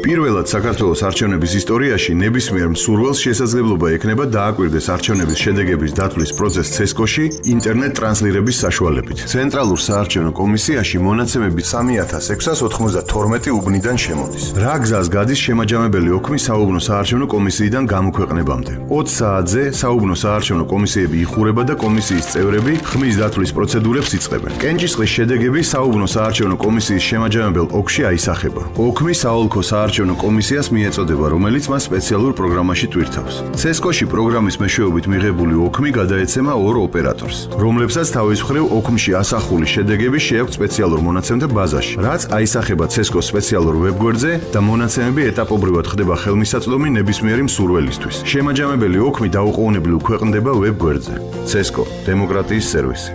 პირველად საქართველოს არჩევნების ისტორიაში ნებისმიერ მსურველს შესაძლებლობა ექნება დააკვირდეს არჩევნების შედეგების დათვლის პროცესს CESCO-ში ინტერნეტ ტრანსლირების საშუალებით. ცენტრალურ საარჩევნო კომისიაში მონაცემები 3692 უბნიდან შემოდის. რა გზას გადის შემაჯამებელი ოქმი საუბნო საარჩევნო კომისიიდან გამოქვეყნებამდე? 20 საათზე საუბნო საარჩევნო კომისიები იხურება და კომისიის წევრები ხმის დათვლის პროცედურებს იწყებენ. კენჭისყრის შედეგები საუბნო საარჩევნო კომისიის შემაჯამებელ ოქში აისახება. ოქმი საოლქო საარჩევნო კომისიას მიეწოდება, რომელიც მას სპეციალურ პროგრამაში ტვირთავს. CESCO-ში პროგრამის მეშვეობით მიღებული ოქმი გადაეცემა ორ ოპერატორს, რომლებსაც თავის მხრივ ოქმში ასახული შედეგები შეაქვთ სპეციალურ მონაცემთა ბაზაში, რაც აისახება CESCO-s სპეციალურ ვებგვერდზე და მონაცემები ეტაპობრივად ხდება ხელმისაწვდომი ნებისმიერი მსურველისთვის. შემაჯამებელი ოქმი დაუყოვნებლივ ქვეყნდება ვებგვერდზე. CESCO – დემოკრატიის სერვისი.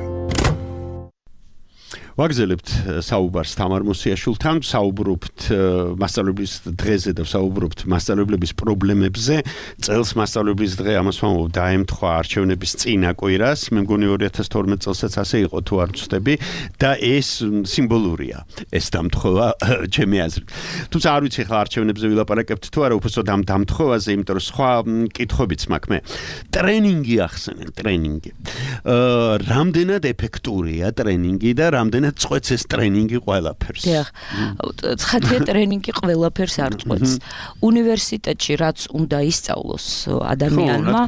ვაგზელებთ საუბარს თამარ მოსიაშვილთან, საუბრობთ მასწავლებლის დღეზე და საუბრობთ მასწავლებლების პრობლემებზე. წელს მასწავლებლის დღე ამას ვამბობ დაემთხვა არჩევნების წინა კვირას. მე მგონი 2012 წელსაც ასე იყო თუ არ ვცდები და ეს სიმბოლურია. ეს დამთხოვა ჩემი აზრით. თუმცა არ ვიცი ხა არჩევნებზე ვილაპარაკებთ თუ არა უბრალოდ ამ დამთხოვაზე, იმიტომ რომ სხვა კითხვებიც მაქვს მე. ტრენინგი ახსენენ, ტრენინგი. რამდენად ეფექტურია ტრენინგი და რამდენად წყვეტს ეს ტრენინგი ყველაფერს? დიახ. ცხადია ტრენინგი ყველაფერს არ წყვეტს. უნივერსიტეტში რაც უნდა ისწავლოს ადამიანმა,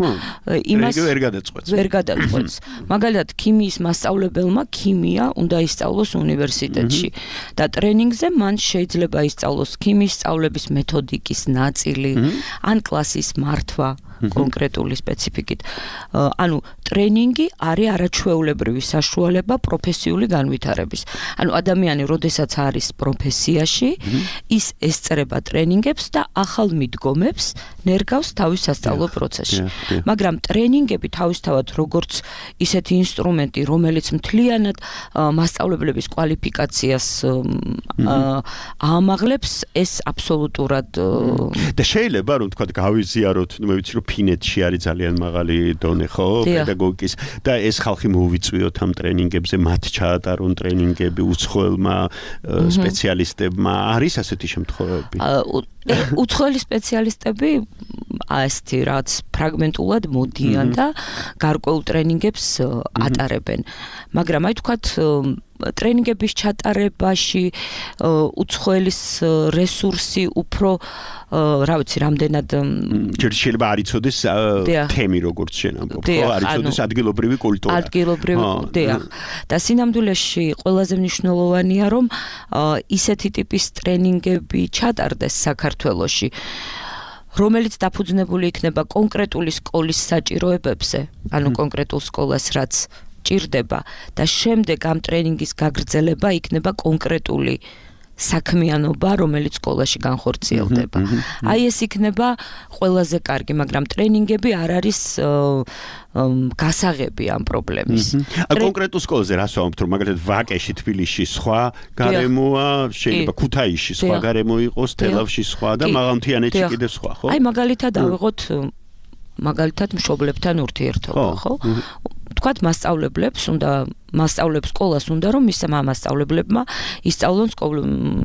იმას ვერ გადაწყვეტს. ვერ გადაწყვეტს. მაგალითად, ქიმიის მასწავლებელმა ქიმია უნდა ისწავლოს უნივერსიტეტში და ტრენინგზე მან შეიძლება ისწავლოს ქიმიის სწავლების მეთოდიკის ნაწილი, ან კლასის მართვა კონკრეტული სპეციფიკით. ანუ ტრენინგი არის არაჩვეულებრივი საშუალება პროფესიული განვითარების. ანუ ადამიანი, როდესაც არის პროფესიაში, ის ესწრება ტრენინგებს და ახალ მიდგომებს ნერგავს თავის სასწავლო პროცესში. მაგრამ ტრენინგები თავისთავად როგორც ისეთი ინსტრუმენტი, რომელიც მთლიანად მასწავლებლების კვალიფიკაციას აამაღლებს, ეს აბსოლუტურად და შეიძლება რომ თქვა გავიზიაროთ, მე ვიცი რომ ფინეთში არის ძალიან მაღალი დონე, ხო, პედაგოგიკის და ეს ხალხი მოუვიწვიოთ ამ ტრენინგებზე, მათ ჩაატარონ ტრენინგები უცხოელმა სპეციალისტებმა. არის ასეთი შემთხვევები? უცხოელი სპეციალისტები ასეთი რაც ფრაგმენტულად მოდიან და გარკვეულ ტრენინგებს ატარებენ. მაგრამ აი თქვათ ტრენინგების ჩატარებაში უცხოელის რესურსი უფრო რა ვიცი რამდენად შეიძლება არ იცოდეს თემი როგორც შენ ამბობ, ხო, არ იცოდეს ადგილობრივი კულტურა. ადგილობრივი, დიახ. და სინამდვილეში ყველაზე მნიშვნელოვანია რომ ისეთი ტიპის ტრენინგები ჩატარდეს საქართველოში, რომელიც დაფუძნებული იქნება კონკრეტული სკოლის საჭიროებებზე, ანუ კონკრეტულ სკოლას რაც ჭირდება და შემდეგ ამ ტრენინგის გაგრძელება იქნება კონკრეტული საქმიანობა, რომელიც სკოლაში განხორციელდება. აი ეს იქნება ყველაზე კარგი, მაგრამ ტრენინგები არ არის გასაღები ამ პრობლემის. კონკრეტულ სკოლაზე რას ვამბობთ, რომ მაგალითად ვაკეში, თბილისში სხვა გარემოა, შეიძლება ქუთაისში სხვა გარემო იყოს, თელავში სხვა და მაღალმთიანეთში კიდევ სხვა, ხო? აი მაგალითად ავიღოთ მაგალითად მშობლებთან ურთიერთობა, ხო? თქვათ მასწავლებლებს სკოლას უნდა რომ მის მასწავლებლებმა ისწავლონ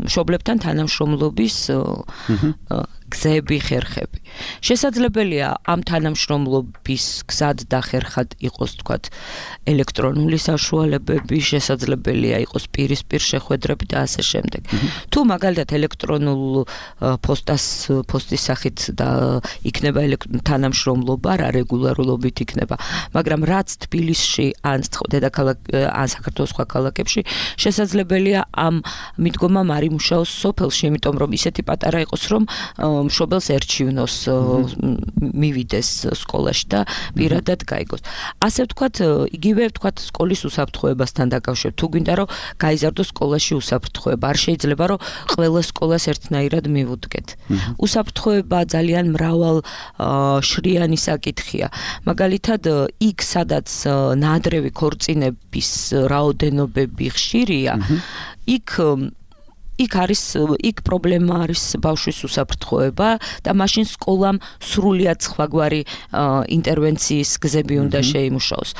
მშობლებთან თანამშრომლობის გზები, ხერხები. შესაძლებელია ამ თანამშრომლობის გზად და ხერხად იყოს თქვათ ელექტრონული საშუალებები, შესაძლებელია იყოს პირისპირ შეხვედრები და ასე შემდეგ. თუ მაგალითად ელექტრონულ პოსტის სახით და იქნება თანამშრომლობა, რა რეგულარულობით იქნება, მაგრამ რაც თბილისში ან ან საქართველოს სხვა ქალაქებში შესაძლებელია ამ მიდგომამ არ იმუშაოს სოფელში, იმიტომ რომ ისეთი პატარა იყოს, რომ მშობელს ერჩივნოს მივიდეს სკოლაში და პირადად გაიგოს. ასე ვთქვათ, იგივე ვთქვათ სკოლის უსაფრთხოებასთან დაკავშირებით. თუ გვინდა რომ გაიზარდოს სკოლაში უსაფრთხოება, არ შეიძლება რომ ყველა სკოლას ერთნაირად მივუდგეთ. უსაფრთხოება ძალიან მრავალ შრიანი საკითხია. მაგალითად, იქ სადაც ნაადრევი ქორწინების რაოდენობები ხშირია, იქ პრობლემა არის ბავშვის უსაფრთხოება და მაშინ სკოლამ სრულიად სხვაგვარი ინტერვენციის გზები უნდა შეიმუშაოს.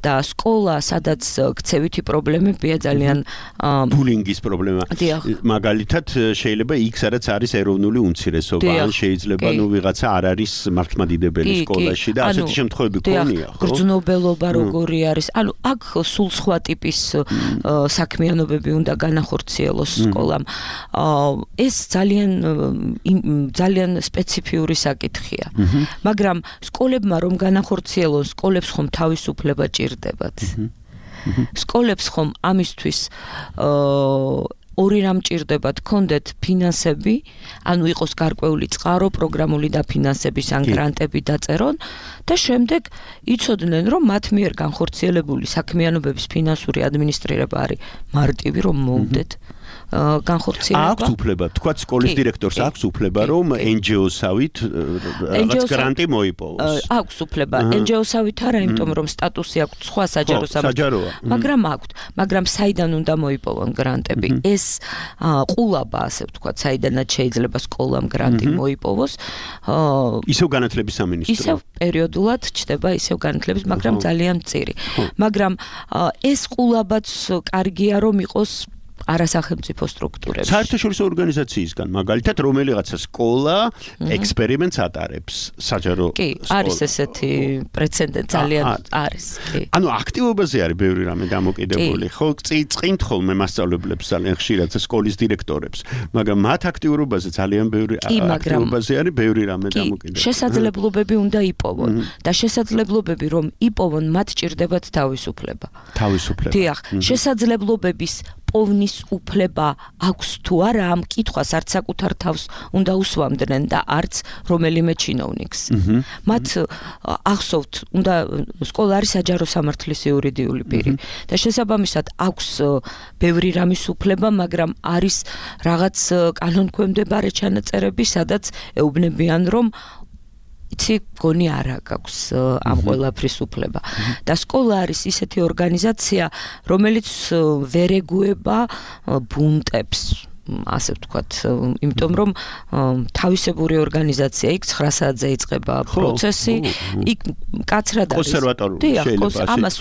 და სკოლა, სადაც ქცევითი პრობლემებია ძალიან ბულინგის პრობლემა. მაგალითად, შეიძლება იქ სადაც არის ეროვნული უმცირესობა, ან შეიძლება ვიღაცა არ არის მართლმადიდებელი სკოლაში და ასეთი შემთხვევები ქონია, ხო? გრძნობელობა როგორი არის? ანუ აქ სულ სხვა ტიპის საქმიანობები უნდა განახორციელოს სკოლამ. ეს ძალიან სპეციფიური საკითხია. მაგრამ სკოლებმა რომ განახორციელონ, სკოლებს ხომ თავისუფლება ჭირდებათ. სკოლებს ხომ ამისთვის ორი რამ ჭირდებათ, კონდეთ ფინანსები, ანუ იყოს გარკვეული წყარო, პროგრამული დაფინანსების ან გრანტები დაწერონ და შემდეგ იცოდნენ, რომ მათ მიერ განხორციელებული საქმიანობების ფინანსური ადმინისტრირება არის მარტივი, რომ მოუდეთ. განხორციელება. აქვს უფლება, თქვა სკოლის დირექტორს აქვს უფლება, რომ NGO-სავით რაღაც გრანტი მოიპოვოს. აქვს უფლება, NGO-სავით არა, იმიტომ რომ სტატუსი აქვს სხვა საჯარო საჯაროა. მაგრამ საიდან უნდა მოიპოვონ გრანტები? ეს ყულაბა, ასე ვთქვათ, საიდანაც შეიძლება სკოლამ გრანტი მოიპოვოს. ისევ განათლების სამინისტრო. ისევ პერიოდულად ჩდება ისევ განათლების, მაგრამ ძალიან მწირი. მაგრამ ეს ყულაბაც კარგია რომ იყოს არასახელმწიფო სტრუქტურებში. საერთაშორისო ორგანიზაციისგან, მაგალითად, რომელიღაცა სკოლა ექსპერიმენტს ატარებს საჯარო კი, არის ესეთი პრეცედენტი, ძალიან არის. კი. ანუ აქტივობაზე არის ბევრი რამე დამოკიდებული. ხო, წინთ ხოლმე მასწავლებლებს ძალიან ხშირად სკოლის დირექტორებს, მაგრამ მათ აქტიურობაზე ძალიან ბევრი აქტივობაზე არის ბევრი რამე დამოკიდებული. შესაძლებლობები უნდა იპოვონ და შესაძლებლობები რომ იპოვონ, მათ ჭირდებათ თავისუფლება. თავისუფლება. დიახ, შესაძლებლობების პოვნის უფლება აქვს თუ არა ამ კითხვას არც საკუთარ თავს უნდა უსვამდნენ და არც რომელიმე ჩინოვნიკს. მათ ახსოვთ, უნდა სკოლა არის საჯარო სამართლის იურიდიული პირი და შესაბამისად აქვს ბევრი რამის უფლება, მაგრამ არის რაღაც კანონქვემდებარე ჩანაწერები, სადაც ეუბნებიან რომ იცი გონი არა გაქვს ამ ყველაფრის უფლება. და სკოლა არის ისეთი ორგანიზაცია, რომელიც ვერ ეგუება ბუნტებს. ასე ვთქვათ, იმიტომ რომ თავისებური ორგანიზაცია იქ 9 საათზე იწყება პროცესი, იქ კაცრად არის. კონსერვატორია, ამას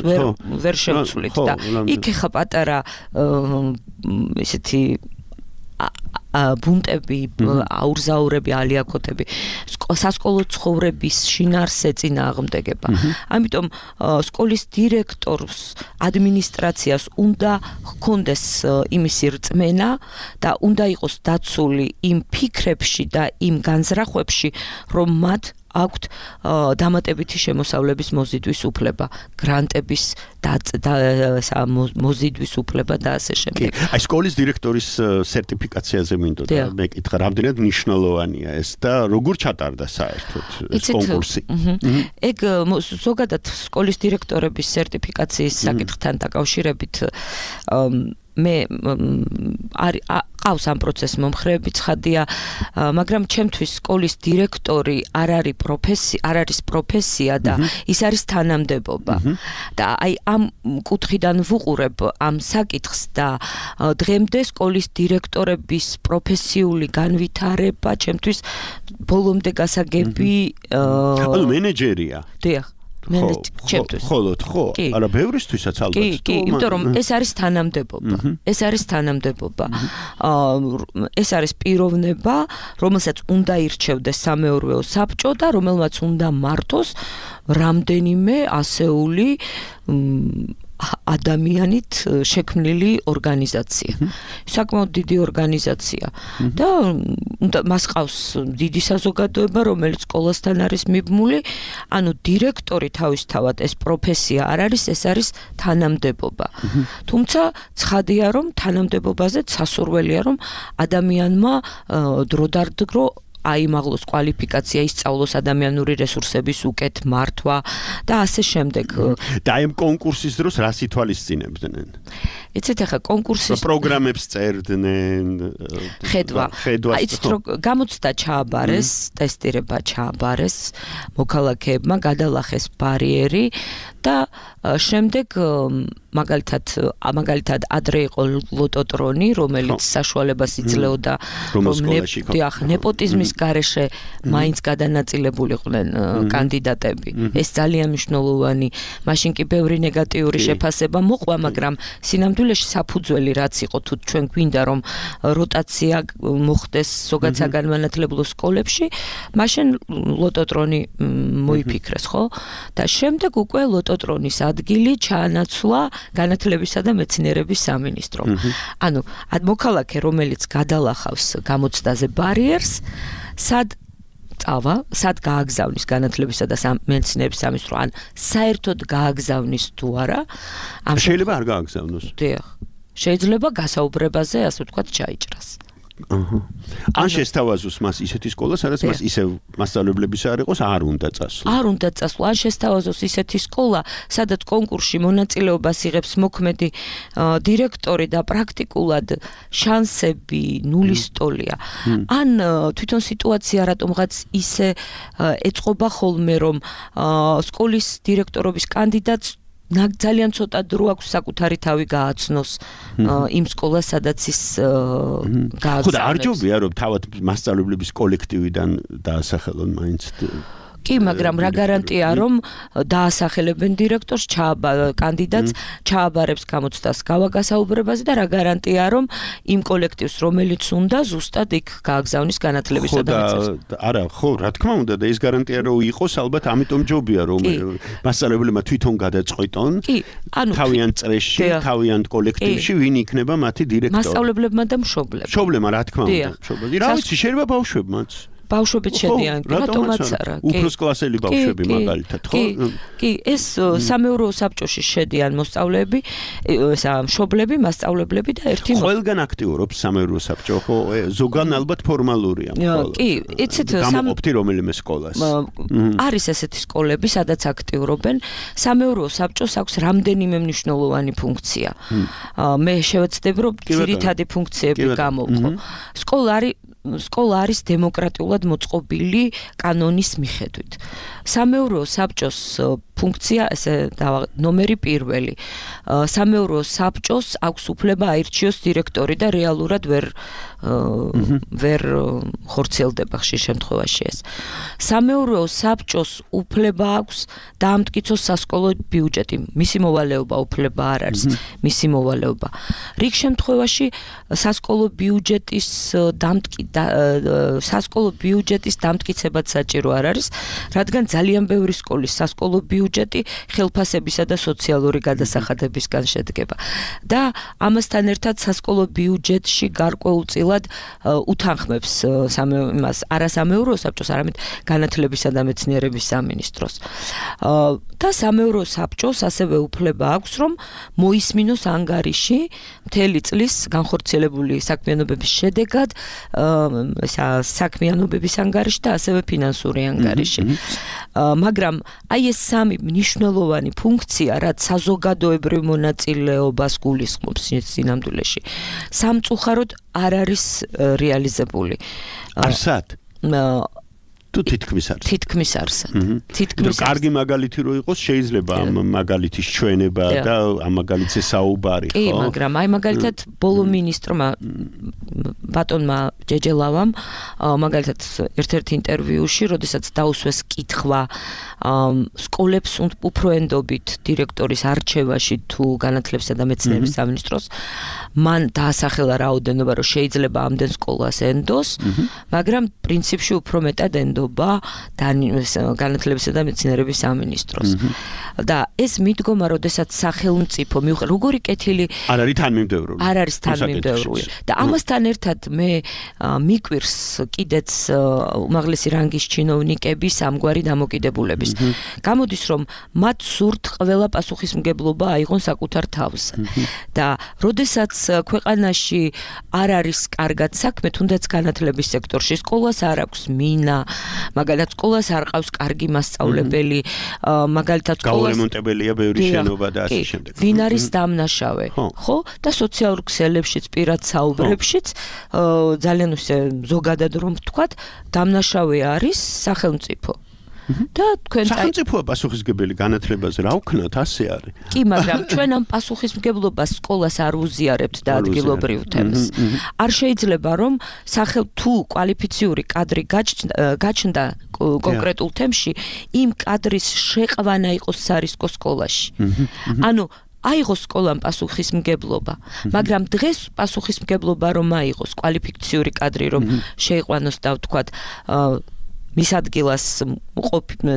ვერ შევცვლით და იქ ხა პატარა ისეთი ბუნტები, აურზაურები, ალიაკოტები, სასკოლო ცხოვრების შინაარსზე წინააღმდეგება. ამიტომ სკოლის დირექტორს, ადმინისტრაციას უნდა ჰქონდეს იმისი რწმენა და უნდა იყოს დაცული იმ ფიქრებში და იმ განზრახვებში, რომ მათ აქვთ დამატებითი შემოსავლების მოზიდვის უფლება, გრანტების მოზიდვის უფლება და ასე შემდეგ. აი სკოლის დირექტორის სერტიფიკაციაზე მინდოდა მეკითხა, რამდენად მნიშვნელოვანია ეს და როგორ ჩატარდა საერთოდ ეს კონკურსი? ეგ ზოგადად სკოლის დირექტორების სერტიფიკაციის საკითხთან დაკავშირებით მე ყავს ამ პროცესს მომხრეები ცხადია, მაგრამ ჩემთვის სკოლის დირექტორი არ არის პროფესია და ის არის თანამდებობა. და აი ამ კუთხიდან ვუყურებ ამ საკითხს და დღემდე სკოლის დირექტორების პროფესიული განვითარება ჩემთვის ბოლომდე გასაგები ანუ მენეჯერია. დიახ. ხოლოდ ხო, არა ბევრისთვისაც ალბათ. კი, იმიტომ რომ ეს არის თანამდებობა. ეს არის თანამდებობა. ეს არის პიროვნება, რომელსაც უნდა ირჩევდეს სამეურვეო საბჭო და რომელმაც უნდა მართოს რამდენიმე ასეული ადამიანით შექმნილი ორგანიზაცია. საკმაოდ დიდი ორგანიზაცია და მას ყავს დიდი საზოგადოება, რომელიც სკოლასთან არის მიბმული. ანუ დირექტორი თავისთავად ეს პროფესია არ არის, ეს არის თანამდებობა. თუმცა ცხადია, რომ თანამდებობაზე სასურველია, რომ ადამიანმა დროდადრო აიმაღლოს კვალიფიკაცია, ისწავლოს ადამიანური რესურსების უკეთ მართვა და ასე შემდეგ. და ამ კონკურსის დროს რას ითვალისწინებდნენ? იცით ახლა კონკურსის პროგრამებს წერდნენ, ხედვა. იცით რომ გამოცდა ჩააბარეს, ტესტირება ჩააბარეს, მოქალაქეებმა გადალახეს ბარიერი და შემდეგ მაგალითად ადრე იყო ლოტოტრონი, რომელიც საშუალებას იძლეოდა ნეპოტიზმის გარეშე მაინც გადანაწილებულიყვნენ კანდიდატები. ეს ძალიან მნიშვნელოვანი, მაშინ კი ბევრი ნეგატიური შეფასება მოყვა, მაგრამ სინამდვილეში საფუძველი რაც იყო, თუ ჩვენ გვინდა რომ როტაცია მოხდეს ზოგადად საგანმანათლებლო სკოლებში, მაშინ ლოტოტრონი მოიფიქრეს, ხო? და შემდეგ უკვე ლოტოტრონის ადგილი ჩაანაცვლა განათლებისა და მეცნიერების სამინისტრომ. ანუ მოქალაქე, რომელიც გადალახავს გამოცდაზე ბარიერს, სად გააგზავნის განათლებისა და მეცნიერების სამინისტრო, ან საერთოდ გააგზავნის თუ არა, შეიძლება არ გააგზავნოს. დიახ. შეიძლება გასაუბრებაზე, ასე ვთქვათ, ჩაიჭრას. ან შესთავაზოს მას ისეთი სკოლა, სადაც მას ისევ მასწავლებლების არ იყოს, არ უნდა წასვლა. არ უნდა წასვლა, ან შესთავაზოს ისეთი სკოლა, სადაც კონკურსში მონაწილეობას იღებს მოქმედი დირექტორი და პრაქტიკულად შანსები ნულის ტოლია. ან თვითონ სიტუაცია რატომღაც ისე ეწყობა ხოლმე, რომ სკოლის დირექტორობის კანდიდატს ძალიან ცოტა დრო აქვს საკუთარი თავი გააცნოს იმ სკოლას, სადაც ის გააგზავნებს. ხო და არ ჯობია რომ თავად მასწავლებლების კოლექტივიდან დაასახელონ მაინც კი, მაგრამ რა გარანტია რომ დაასახელებენ დირექტორს, კანდიდატს, ჩააბარებს გამოცდას გავაგასაუბრებაზე და რა გარანტია რომ იმ კოლექტივს, რომელიც უნდა ზუსტად იქ გააგზავნის განათლებისა და მეცნიერების. არა, ხო, რა თქმა უნდა და ეს გარანტია რომ იყოს, ალბათ ამიტომ ჯობია რომ მასწავლებლებმა თვითონ გადაწყვიტონ თავიანთ წრეში, თავიანთ კოლექტივში ვინ იქნება მათი დირექტორი. მასწავლებლებმა და მშობლებმა. მშობლებმა, რა თქმა უნდა, მშობლებმა. რა ვიცი, შეიძლება ბავშვებმაც ბავშვებიც შედიან, რატომაც არა. უფროს კლასელი ბავშვები მაგალითად, ხო? კი, ეს სამეურვეო საბჭოში შედიან მოსწავლეები, მშობლები, მასწავლებლები და ერთი ყველგან აქტიურობს სამეურვეო საბჭო, ხო? ზოგან ალბათ ფორმალურია. კი, იცით, გამოყოფთი რომელიმე სკოლას. არის ესეთი სკოლები, სადაც აქტიურობენ. სამეურვეო საბჭოს აქვს რამდენიმე მნიშვნელოვანი ფუნქცია. მე შევეცდები, რომ ძირითადი ფუნქციები გამოვყო. სკოლა არის დემოკრატიულად მოწყობილი კანონის მიხედვით. სამეურვეო საბჭოს ფუნქცია, ესე ნომერი პირველი. სამეურვეო საბჭოს აქვს უფლება აირჩიოს დირექტორი და რეალურად ვერ ხორციელდება ხშირ შემთხვევაში ეს. სამეურვეო საბჭოს უფლება აქვს დაამტკიცოს სასკოლო ბიუჯეტი. მისი მოვალეობა უფლება არ არის, მისი მოვალეობა. რიგ შემთხვევაში სასკოლო ბიუჯეტის დამტკიცებაც საჭირო არ არის, რადგან ძალიან ბევრი სკოლის სასკოლო ბიუჯეტი ხელფასებისა და სოციალური გადასახადებისგან შედგება. და ამასთან ერთად სასკოლო ბიუჯეტში გარკვეულწილად უთანხმებს არა სამეურვეო საბჭოს, არამედ განათლებისა და მეცნიერების სამინისტროს. და სამეურვეო საბჭოს ასევე უფლება აქვს, რომ მოისმინოს ანგარიში მთელი წლის განხორციელებული საქმიანობების შედეგად, საქმიანობების ანგარიში და ასევე ფინანსური ანგარიში. მაგრამ აი ეს სამი მნიშვნელოვანი ფუნქცია, რაც საზოგადოებრივ მონაწილეობას გულისხმობს სინამდვილეში, სამწუხაროდ არ არის რეალიზებული. არსად? თუ თითქმის არის. თითქმის არსად. კარგი მაგალითი რო იყოს, შეიძლება ამ მაგალითის ჩვენება და ამ მაგალითზე საუბარი, ხო? კი, მაგრამ აი მაგალითად ბოლო მინისტრმა ბატონმა ჯეჯელავამ მაგალითად ერთ-ერთ ინტერვიუში, როდესაც დაუსვეს კითხვა სკოლებს უფრო ენდობით დირექტორის არჩევაში თუ განათლებისა და მეცნიერების სამინისტროს, მან დაასახელა რაოდენობა, რომ შეიძლება ამდენ სკოლას ენდოს, მაგრამ პრინციპში უფრო მეტად ენდობა განათლებისა და მეცნიერების სამინისტროს. და ეს მიდგომა, როდესაც სახელმწიფო როგორი კეთილი არ არის თანმიმდევრული. არ არის თანმიმდევრული. და ამასთან ერთად მე მიკვირს კიდეც უმაღლესი რანგის ჩინოვნიკების ამგვარი დამოკიდებულების. გამოდის, რომ მათ სურთ ყველა პასუხისმგებლობა აიღონ საკუთარ თავზე. და როდესაც ქვეყანაში არ არის კარგად საქმე, თუნდაც განათლების სექტორში, სკოლას არ აქვს მინა, მაგალითად სკოლას არ ყავს კარგი მასწავლებელი, მაგალითად გაურემონტებელია ბევრი შენობა და ასე შემდეგ. ვინ არის დამნაშავე, ხო? და სოციალურ ქსელებშიც, პირად საუბრებშიც ძალიან ზოგადად რომ ვთქვათ, დამნაშავე არის სახელმწიფო. და თქვენ სახელმწიფოა პასუხისმგებელი განათლებაზე, რა ვქნათ, ასე არის. კი, მაგრამ ჩვენ ამ პასუხისმგებლობას სკოლას არ უზიარებთ და ადგილობრივ თემს. არ შეიძლება რომ თუ კვალიფიციური კადრი გაჩნდა კონკრეტულ თემში, იმ კადრის შეყვანა იყოს სარისკო სკოლაში. ანუ აიღოს სკოლამ პასუხისმგებლობა, მაგრამ დღეს პასუხისმგებლობა რომ აიღოს კვალიფიციური კადრი რომ შეიყვანოს და ვთქვათ მის ადგილას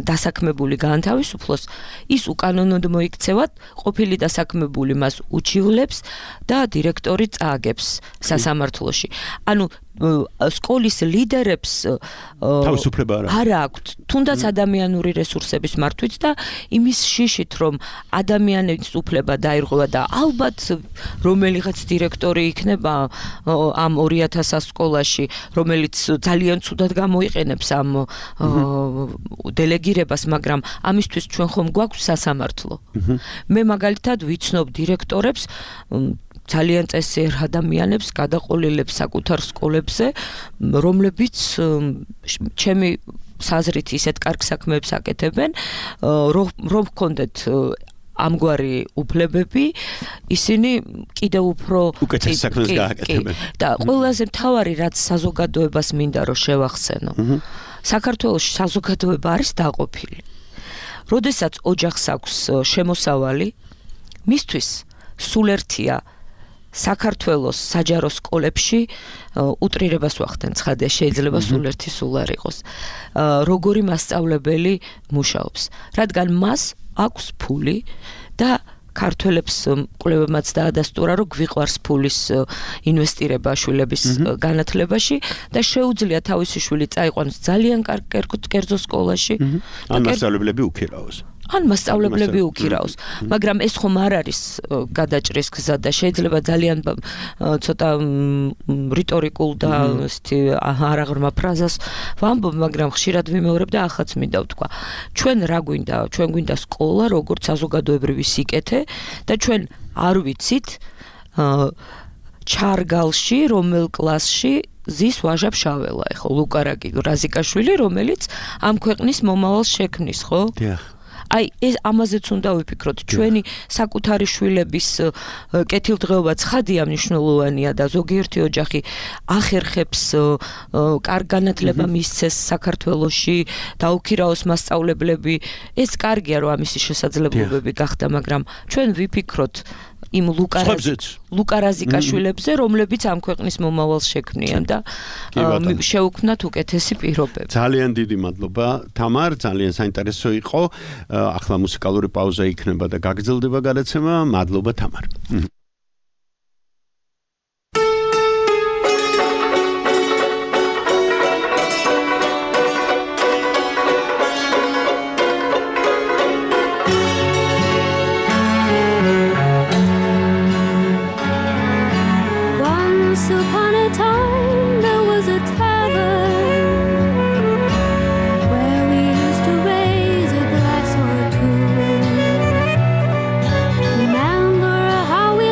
დასაქმებული გაანთავისუფლოს, ის უკანონოდ მოიქცევად, ყოფილი დასაქმებული მას უჩივლებს და დირექტორი წააგებს სასამართლოში. ანუ სკოლის ლიდერებს თავისუფლება არ აქვთ, თუნდაც ადამიანური რესურსების მართვით და იმის შიშით, რომ ადამიანის უფლება დაირღვევა და ალბათ რომელიღაც დირექტორი იქნება ამ 2000 სკოლაში, რომელიც ძალიან ცუდად გამოიყენებს ამ დელეგირებას, მაგრამ ამისთვის ჩვენ ხომ გვაქვს სასამართლო. მე მაგალითად ვიცნობ დირექტორებს ძალიან წესიერ ადამიანებს გადაყოლილებს საკუთარ სკოლებზე, რომლებიც ჩემი საზრით ისეთ კარგ საქმეებს აკეთებენ, რომ გქონდეთ ამგვარი უფლებები, ისინი კიდევ უფრო უკეთეს საქმეს გააკეთებენ. და ყველაზე მთავარი, რაც საზოგადოებას მინდა რომ შევახსენო. საქართველოში საზოგადოება არის დაყოფილი. როდესაც ოჯახს აქვს შემოსავალი, მისთვის სულ ერთია საქართველოს საჯარო სკოლებში უტრირებას ვახდენ, ცხადია, შეიძლება სულ ერთი სულ არ იყოს. როგორი მასწავლებელი მუშაობს, რადგან მას აქვს ფული და ქართველებს კვლევებმაც დაადასტურა, რომ გვიყვარს ფულის ინვესტირება შვილების განათლებაში და შეუძლია თავისი შვილი წაიყვანოს ძალიან კარგ კერძო სკოლაში. ან მასწავლებლები უქირაოს. ან მასწავლებლები უქირაოს, მაგრამ ეს ხომ არ არის გადაჭრის გზა და შეიძლება ძალიან ცოტა რიტორიკულ და ესეთი არაღრმა ფრაზას ვამბობ, მაგრამ ხშირად ვიმეორებ და ახაც მინდა ვთქვა. ჩვენ რა გვინდა? ჩვენ გვინდა სკოლა, როგორც საზოგადოებრივი სიკეთე და ჩვენ არ ვიცით ჩარგალში, რომელ კლასში ზის ვაჟა ფშაველა, ხო, ლუკა რაზიკაშვილი, რომელიც ამ ქვეყნის მომავალს შექმნის, ხო? დიახ. აი ეს ამაზეც უნდა ვიფიქროთ, ჩვენი საკუთარი შვილების კეთილდღეობა ცხადია მნიშვნელოვანია და ზოგიერთი ოჯახი ახერხებს კარგ განათლება მისცეს საქართველოში, დაუქირაოს მასწავლებლები, ეს კარგია რომ ამისი შესაძლებლობები გახდა, მაგრამ ჩვენ ვიფიქროთ იმ ლუკა რაზიკაშვილებზე, რომლებიც ამ ქვეყნის მომავალს შექმნიან და შეუქმნათ უკეთესი პირობები. ძალიან დიდი მადლობა, თამარ, ძალიან საინტერესო იყო. ახლა მუსიკალური პაუზა იქნება და გაგრძელდება გადაცემა. მადლობა, თამარ. Remember how we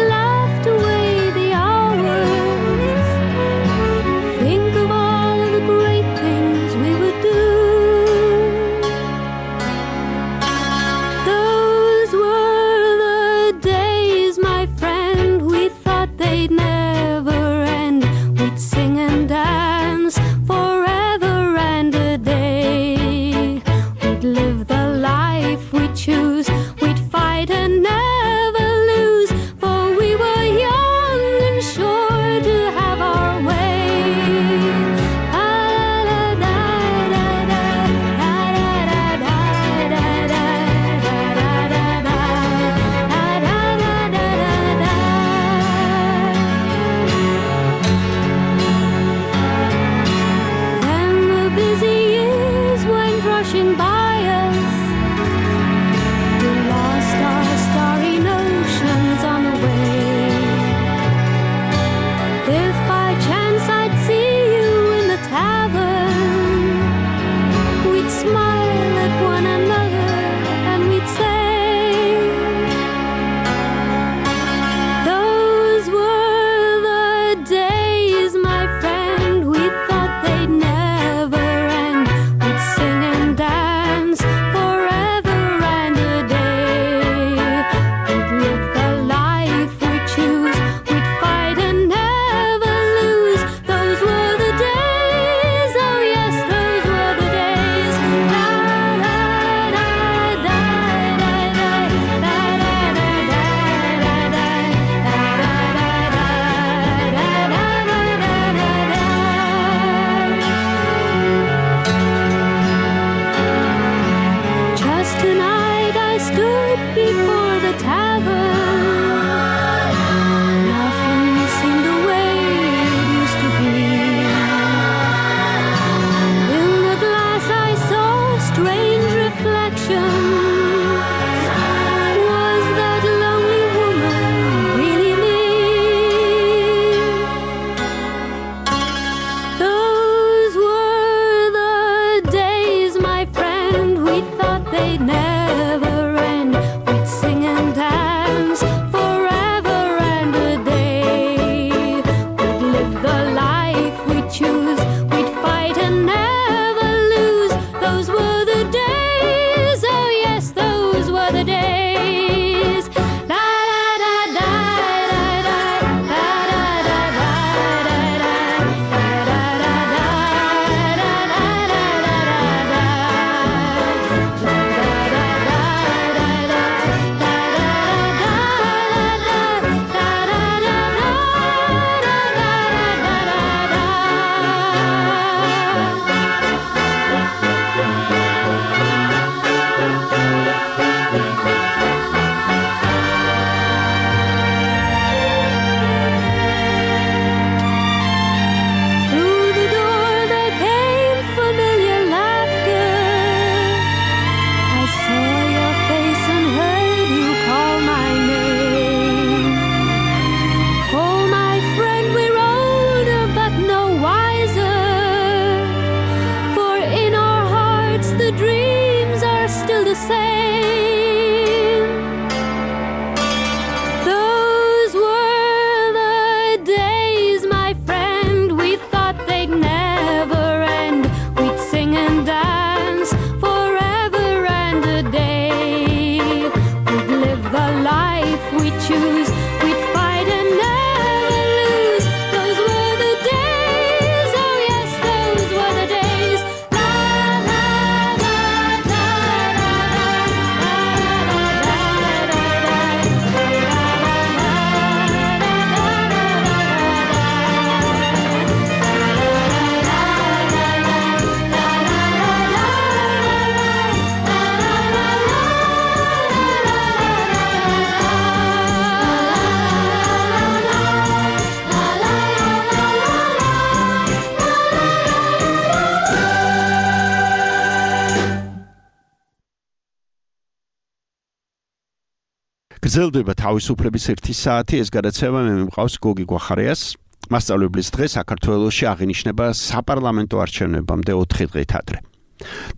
გრძელდება თავისუფლების 1 საათი, ეს გადაცემა მე მიმყავს გოგი გვახარიას. მასწავლებლის დღე საქართველოში აღინიშნება საპარლამენტო არჩევნებამდე 4 დღით ადრე.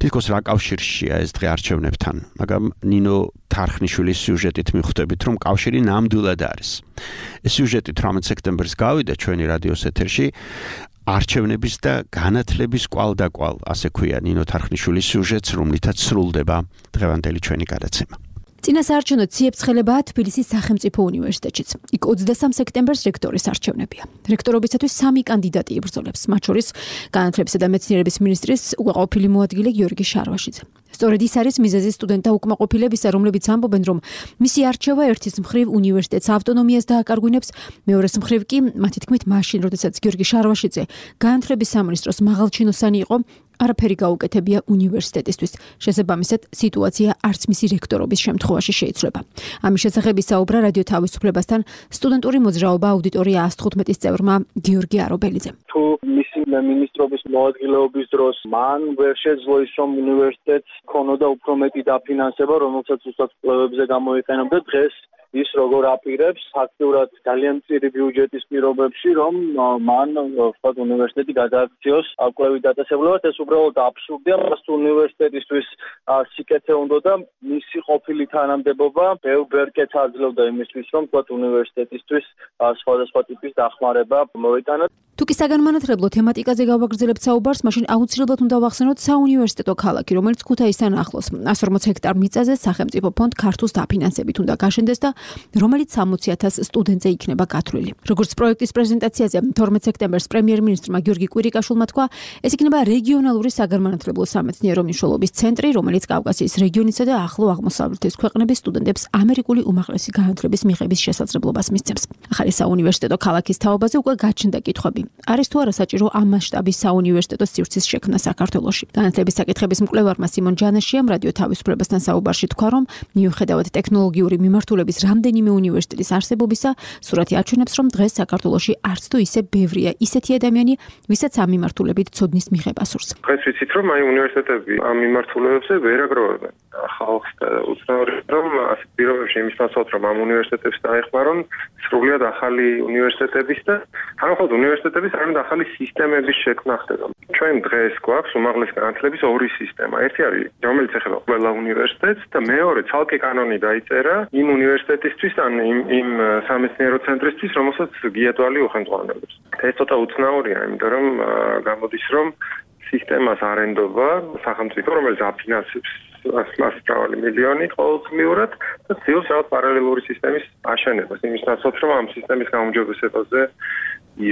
თითქოს რა კავშირშია ეს დღე არჩევნებთან, მაგრამ ნინო თარხნიშვილის სიუჟეტით მივხვდებით, რომ კავშირი ნამდვილად არის. ეს სიუჟეტი 18 სექტემბერს გავიდა ჩვენი რადიოს ეთერში. არჩევნების და განათლების კვალდაკვალ, ასე ქვია ნინო თარხნიშვილის სიუჟეტს, რომლითაც სრულდება დღევანდელი ჩვენი გადაცემა. წინასაარჩევნო ციებ-ცხელებაა თბილისის სახელმწიფო უნივერსიტეტშიც. იქ 23 სექტემბერს რექტორის არჩევნებია. რექტორობისათვის 3 კანდიდატი იბრძოლებს, მათ შორის განათლებისა და მეცნიერების მინისტრის უკმაყოფილი მოადგილე გიორგი შარვაშიძე. სწორედ ის არის მიზეზი სტუდენტთა უკმაყოფილებისა, რომლებიც ამბობენ, რომ მისი არჩევა ერთის მხრივ უნივერსიტეტს ავტონომიას დააკარგვინებს, მეორეს მხრივ კი, მათი თქმით, მაშინ, როდესაც გიორგი შარვაშიძე განათლების სამინისტროს მაღალჩინოსანი იყო, არაფერი გაუკეთებია უნივერსიტეტისთვის. შესაბამისად, სიტუაცია არც მისი რექტორობის შემთხვევაში შეიცვლება. ამის შესახებ ისაუბრა რადიო თავისუფლებასთან სტუდენტური მოძრაობა აუდიტორია 115-ის წევრმა გიორგი არობელიძემ. თუ მისი მინისტრობის მოადგილეობის დროს მან ვერ შეძლო ის, რომ უნივერსიტეტს ქონოდა უფრო მეტი დაფინანსება, რომელსაც უბრალოდ კვლევებზე გამოიყენებდა, დღეს ის როგორ აპირებს ფაქტურად ძალიან მწირი ბიუჯეტის პირობებში, რომ მან ვთქვათ უნივერსიტეტი გადააქციოს კვლევით დაწესებულებად, ეს უბრალოდ აბსურდია. მას უნივერსიტეტისთვის სიკეთე უნდოდა მისი ყოფილი თანამდებობა ბევრ კეთს აძლევდა იმისთვის, რომ ვთქვათ უნივერსიტეტისთვის სხვადასხვა ტიპის დახმარება მოიტანა. თუკი საგანმანათლებლო თემატიკაზე გავაგრძელებთ საუბარს, მაშინ აუცილებლად უნდა ვახსენოთ საუნივერსიტეტო ქალაქი, რომელიც ქუთაისთან ახლოს 140 ჰექტარ მიწაზე სახელმწიფო ფონდ ქართულს დაფინანსებით უნდა გაშენდეს და რომელიც 60,000 სტუდენტზე იქნება გათვლილი. როგორც პროექტის პრეზენტაციაზე 12 სექტემბერს პრემიერ-მინისტრმა გიორგი კვირიკაშვილმა თქვა, ეს იქნება რეგიონალური საგანმანათლებლო სამეცნიერო მნიშვნელობის ცენტრი, რომელიც კავკასიის რეგიონისა და ახლო აღმოსავლეთის ქვეყნების სტუდენტებს ამერიკული უმაღლესი განათლების მიღების შესაძლებლობას მისცემს. ახალი საუნივერსიტეტო ქალაქის თაობაზე უკვე გაჩნდა კითხვები. არის თუ არა საჭირო ამ მასშტაბის საუნივერსიტეტო სივრცის შექმნა საქართველოში? განათლების საკითხების მკვლევარმა სიმონ ჯანაშიამ რადიო თავისუფლებასთან საუბარში თქვა, რომ მიუხედავად ტექნოლოგიური მიმართულების რამდენიმე უნივერსიტეტის არსებობისა, სურათი აჩვენებს, რომ დღეს საქართველოში არც თუ ისე ბევრია ისეთი ადამიანი, ვისაც ამ მიმართულებით ცოდნის მიღება სურს. დღეს ვიცით, რომ აი უნივერსიტეტები ამ მიმართულებებზე ვერ აგროვებენ ხალხს და უცნაური, რომ ასეთ პირობებში იმის ნაცვლად, რომ ამ უნივერსიტეტებს დაეხმარონ სრულიად ახალი უნივერსიტეტების და თანახმად უნივერსიტეტების არამედ ახალი სისტემების შექმნა ხდება. ჩვენ დღეს გვაქვს უმაღლესი განათლების ორი სისტემა. ერთი არის, რომელიც ეხება ყველა უნივერსიტეტს და მეორე ცალკე კანონი დაიწერა იმ უნივერსიტეტისთვის ან იმ სამეცნიერო ცენტრისთვის, რომელსაც გიატვალი უხელმძღვანელობს. ეს ცოტა უცნაურია, იმიტომ რომ გამოდის, რომ სისტემას არენდობა სახელმწიფო, რომელიც აფინანსებს მას მრავალი მილიონი ყოველწლიურად და ცდილობს რაღაც პარალელური სისტემის აშენებას, იმის ნაცვლად, რომ ამ სისტემის გაუმჯობესებაზე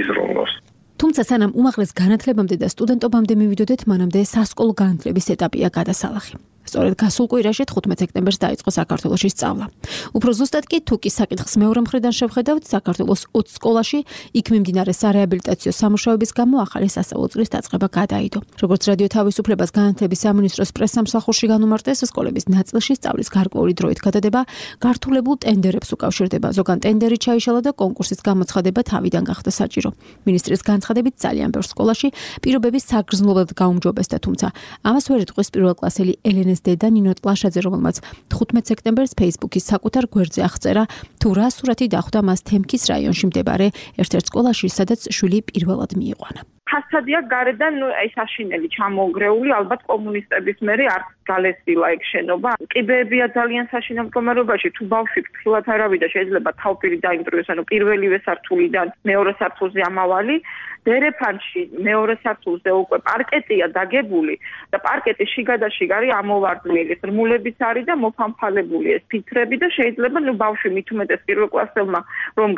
იზრუნოს. თუმცა სანამ უმაღლეს განათლებამდე და სტუდენტობამდე მივიდოდეთ, მანამდე სასკოლო განათლების ეტაპია გადასალახი. სწორედ გასულ კვირაში 15 სექტემბერს დაიწყო საქართველოში სწავლა. უფრო ზუსტად კი თუ კი საკითხს მეორე მხრიდან შევხედავთ, საქართველოს 20 სკოლაში იქ მიმდინარე სარეაბილიტაციო სამუშაოების გამო ახალი სასწავლო წლის დაწყება გადაიდო. როგორც რადიო თავისუფლებას განათლების სამინისტროს პრესსამსახურში განუმარტეს, სკოლების ნაწილში სწავლის გარკვეული დროით გადადება გართულებულ ტენდერებს უკავშირდება. ზოგან ტენდერი ჩაიშალა და კონკურსის გამოცხადება თავიდან გახდა საჭირო. მინისტრის განცხადებით ძალიან ბევრ სკოლაში პირობები საგრძნობლად გაუმჯობესდა, თუმცა ამას ვერ იტყვის პირველკლასელი ელენეს დედა ნინო ტლაშაძე, რომელმაც 15 სექტემბერს Facebook-ის საკუთარ გვერდზე აღწერა, თუ რა სურათი დახვდა მას თემქის რაიონში მდებარე ერთ-ერთ სკოლაში, სადაც შვილი პირველად მიიყვანა. ფასადია გარედან აი საშინელი ჩამოუგრეული, ალბათ კომუნისტების მერე არც გალესილა ეგ შენობა. კიბეებია ძალიან საშინელ მდგომარეობაში, თუ ბავშვი ფრთხილად არავიდა, შეიძლება თავპირი დაიმტრიოს, ანუ პირველივე სართულიდან მეორე სართულზე ამავალი. დერეფანში მეორე სართულზე უკვე პარკეტია დაგებული და პარკეტის შიგადაშიგ არის ამოვარდნილი, რმულებიც არის და მოფამფალებული ეს ფიქრები და შეიძლება ბავშვი მithumetes პირველ კლასელმა რომ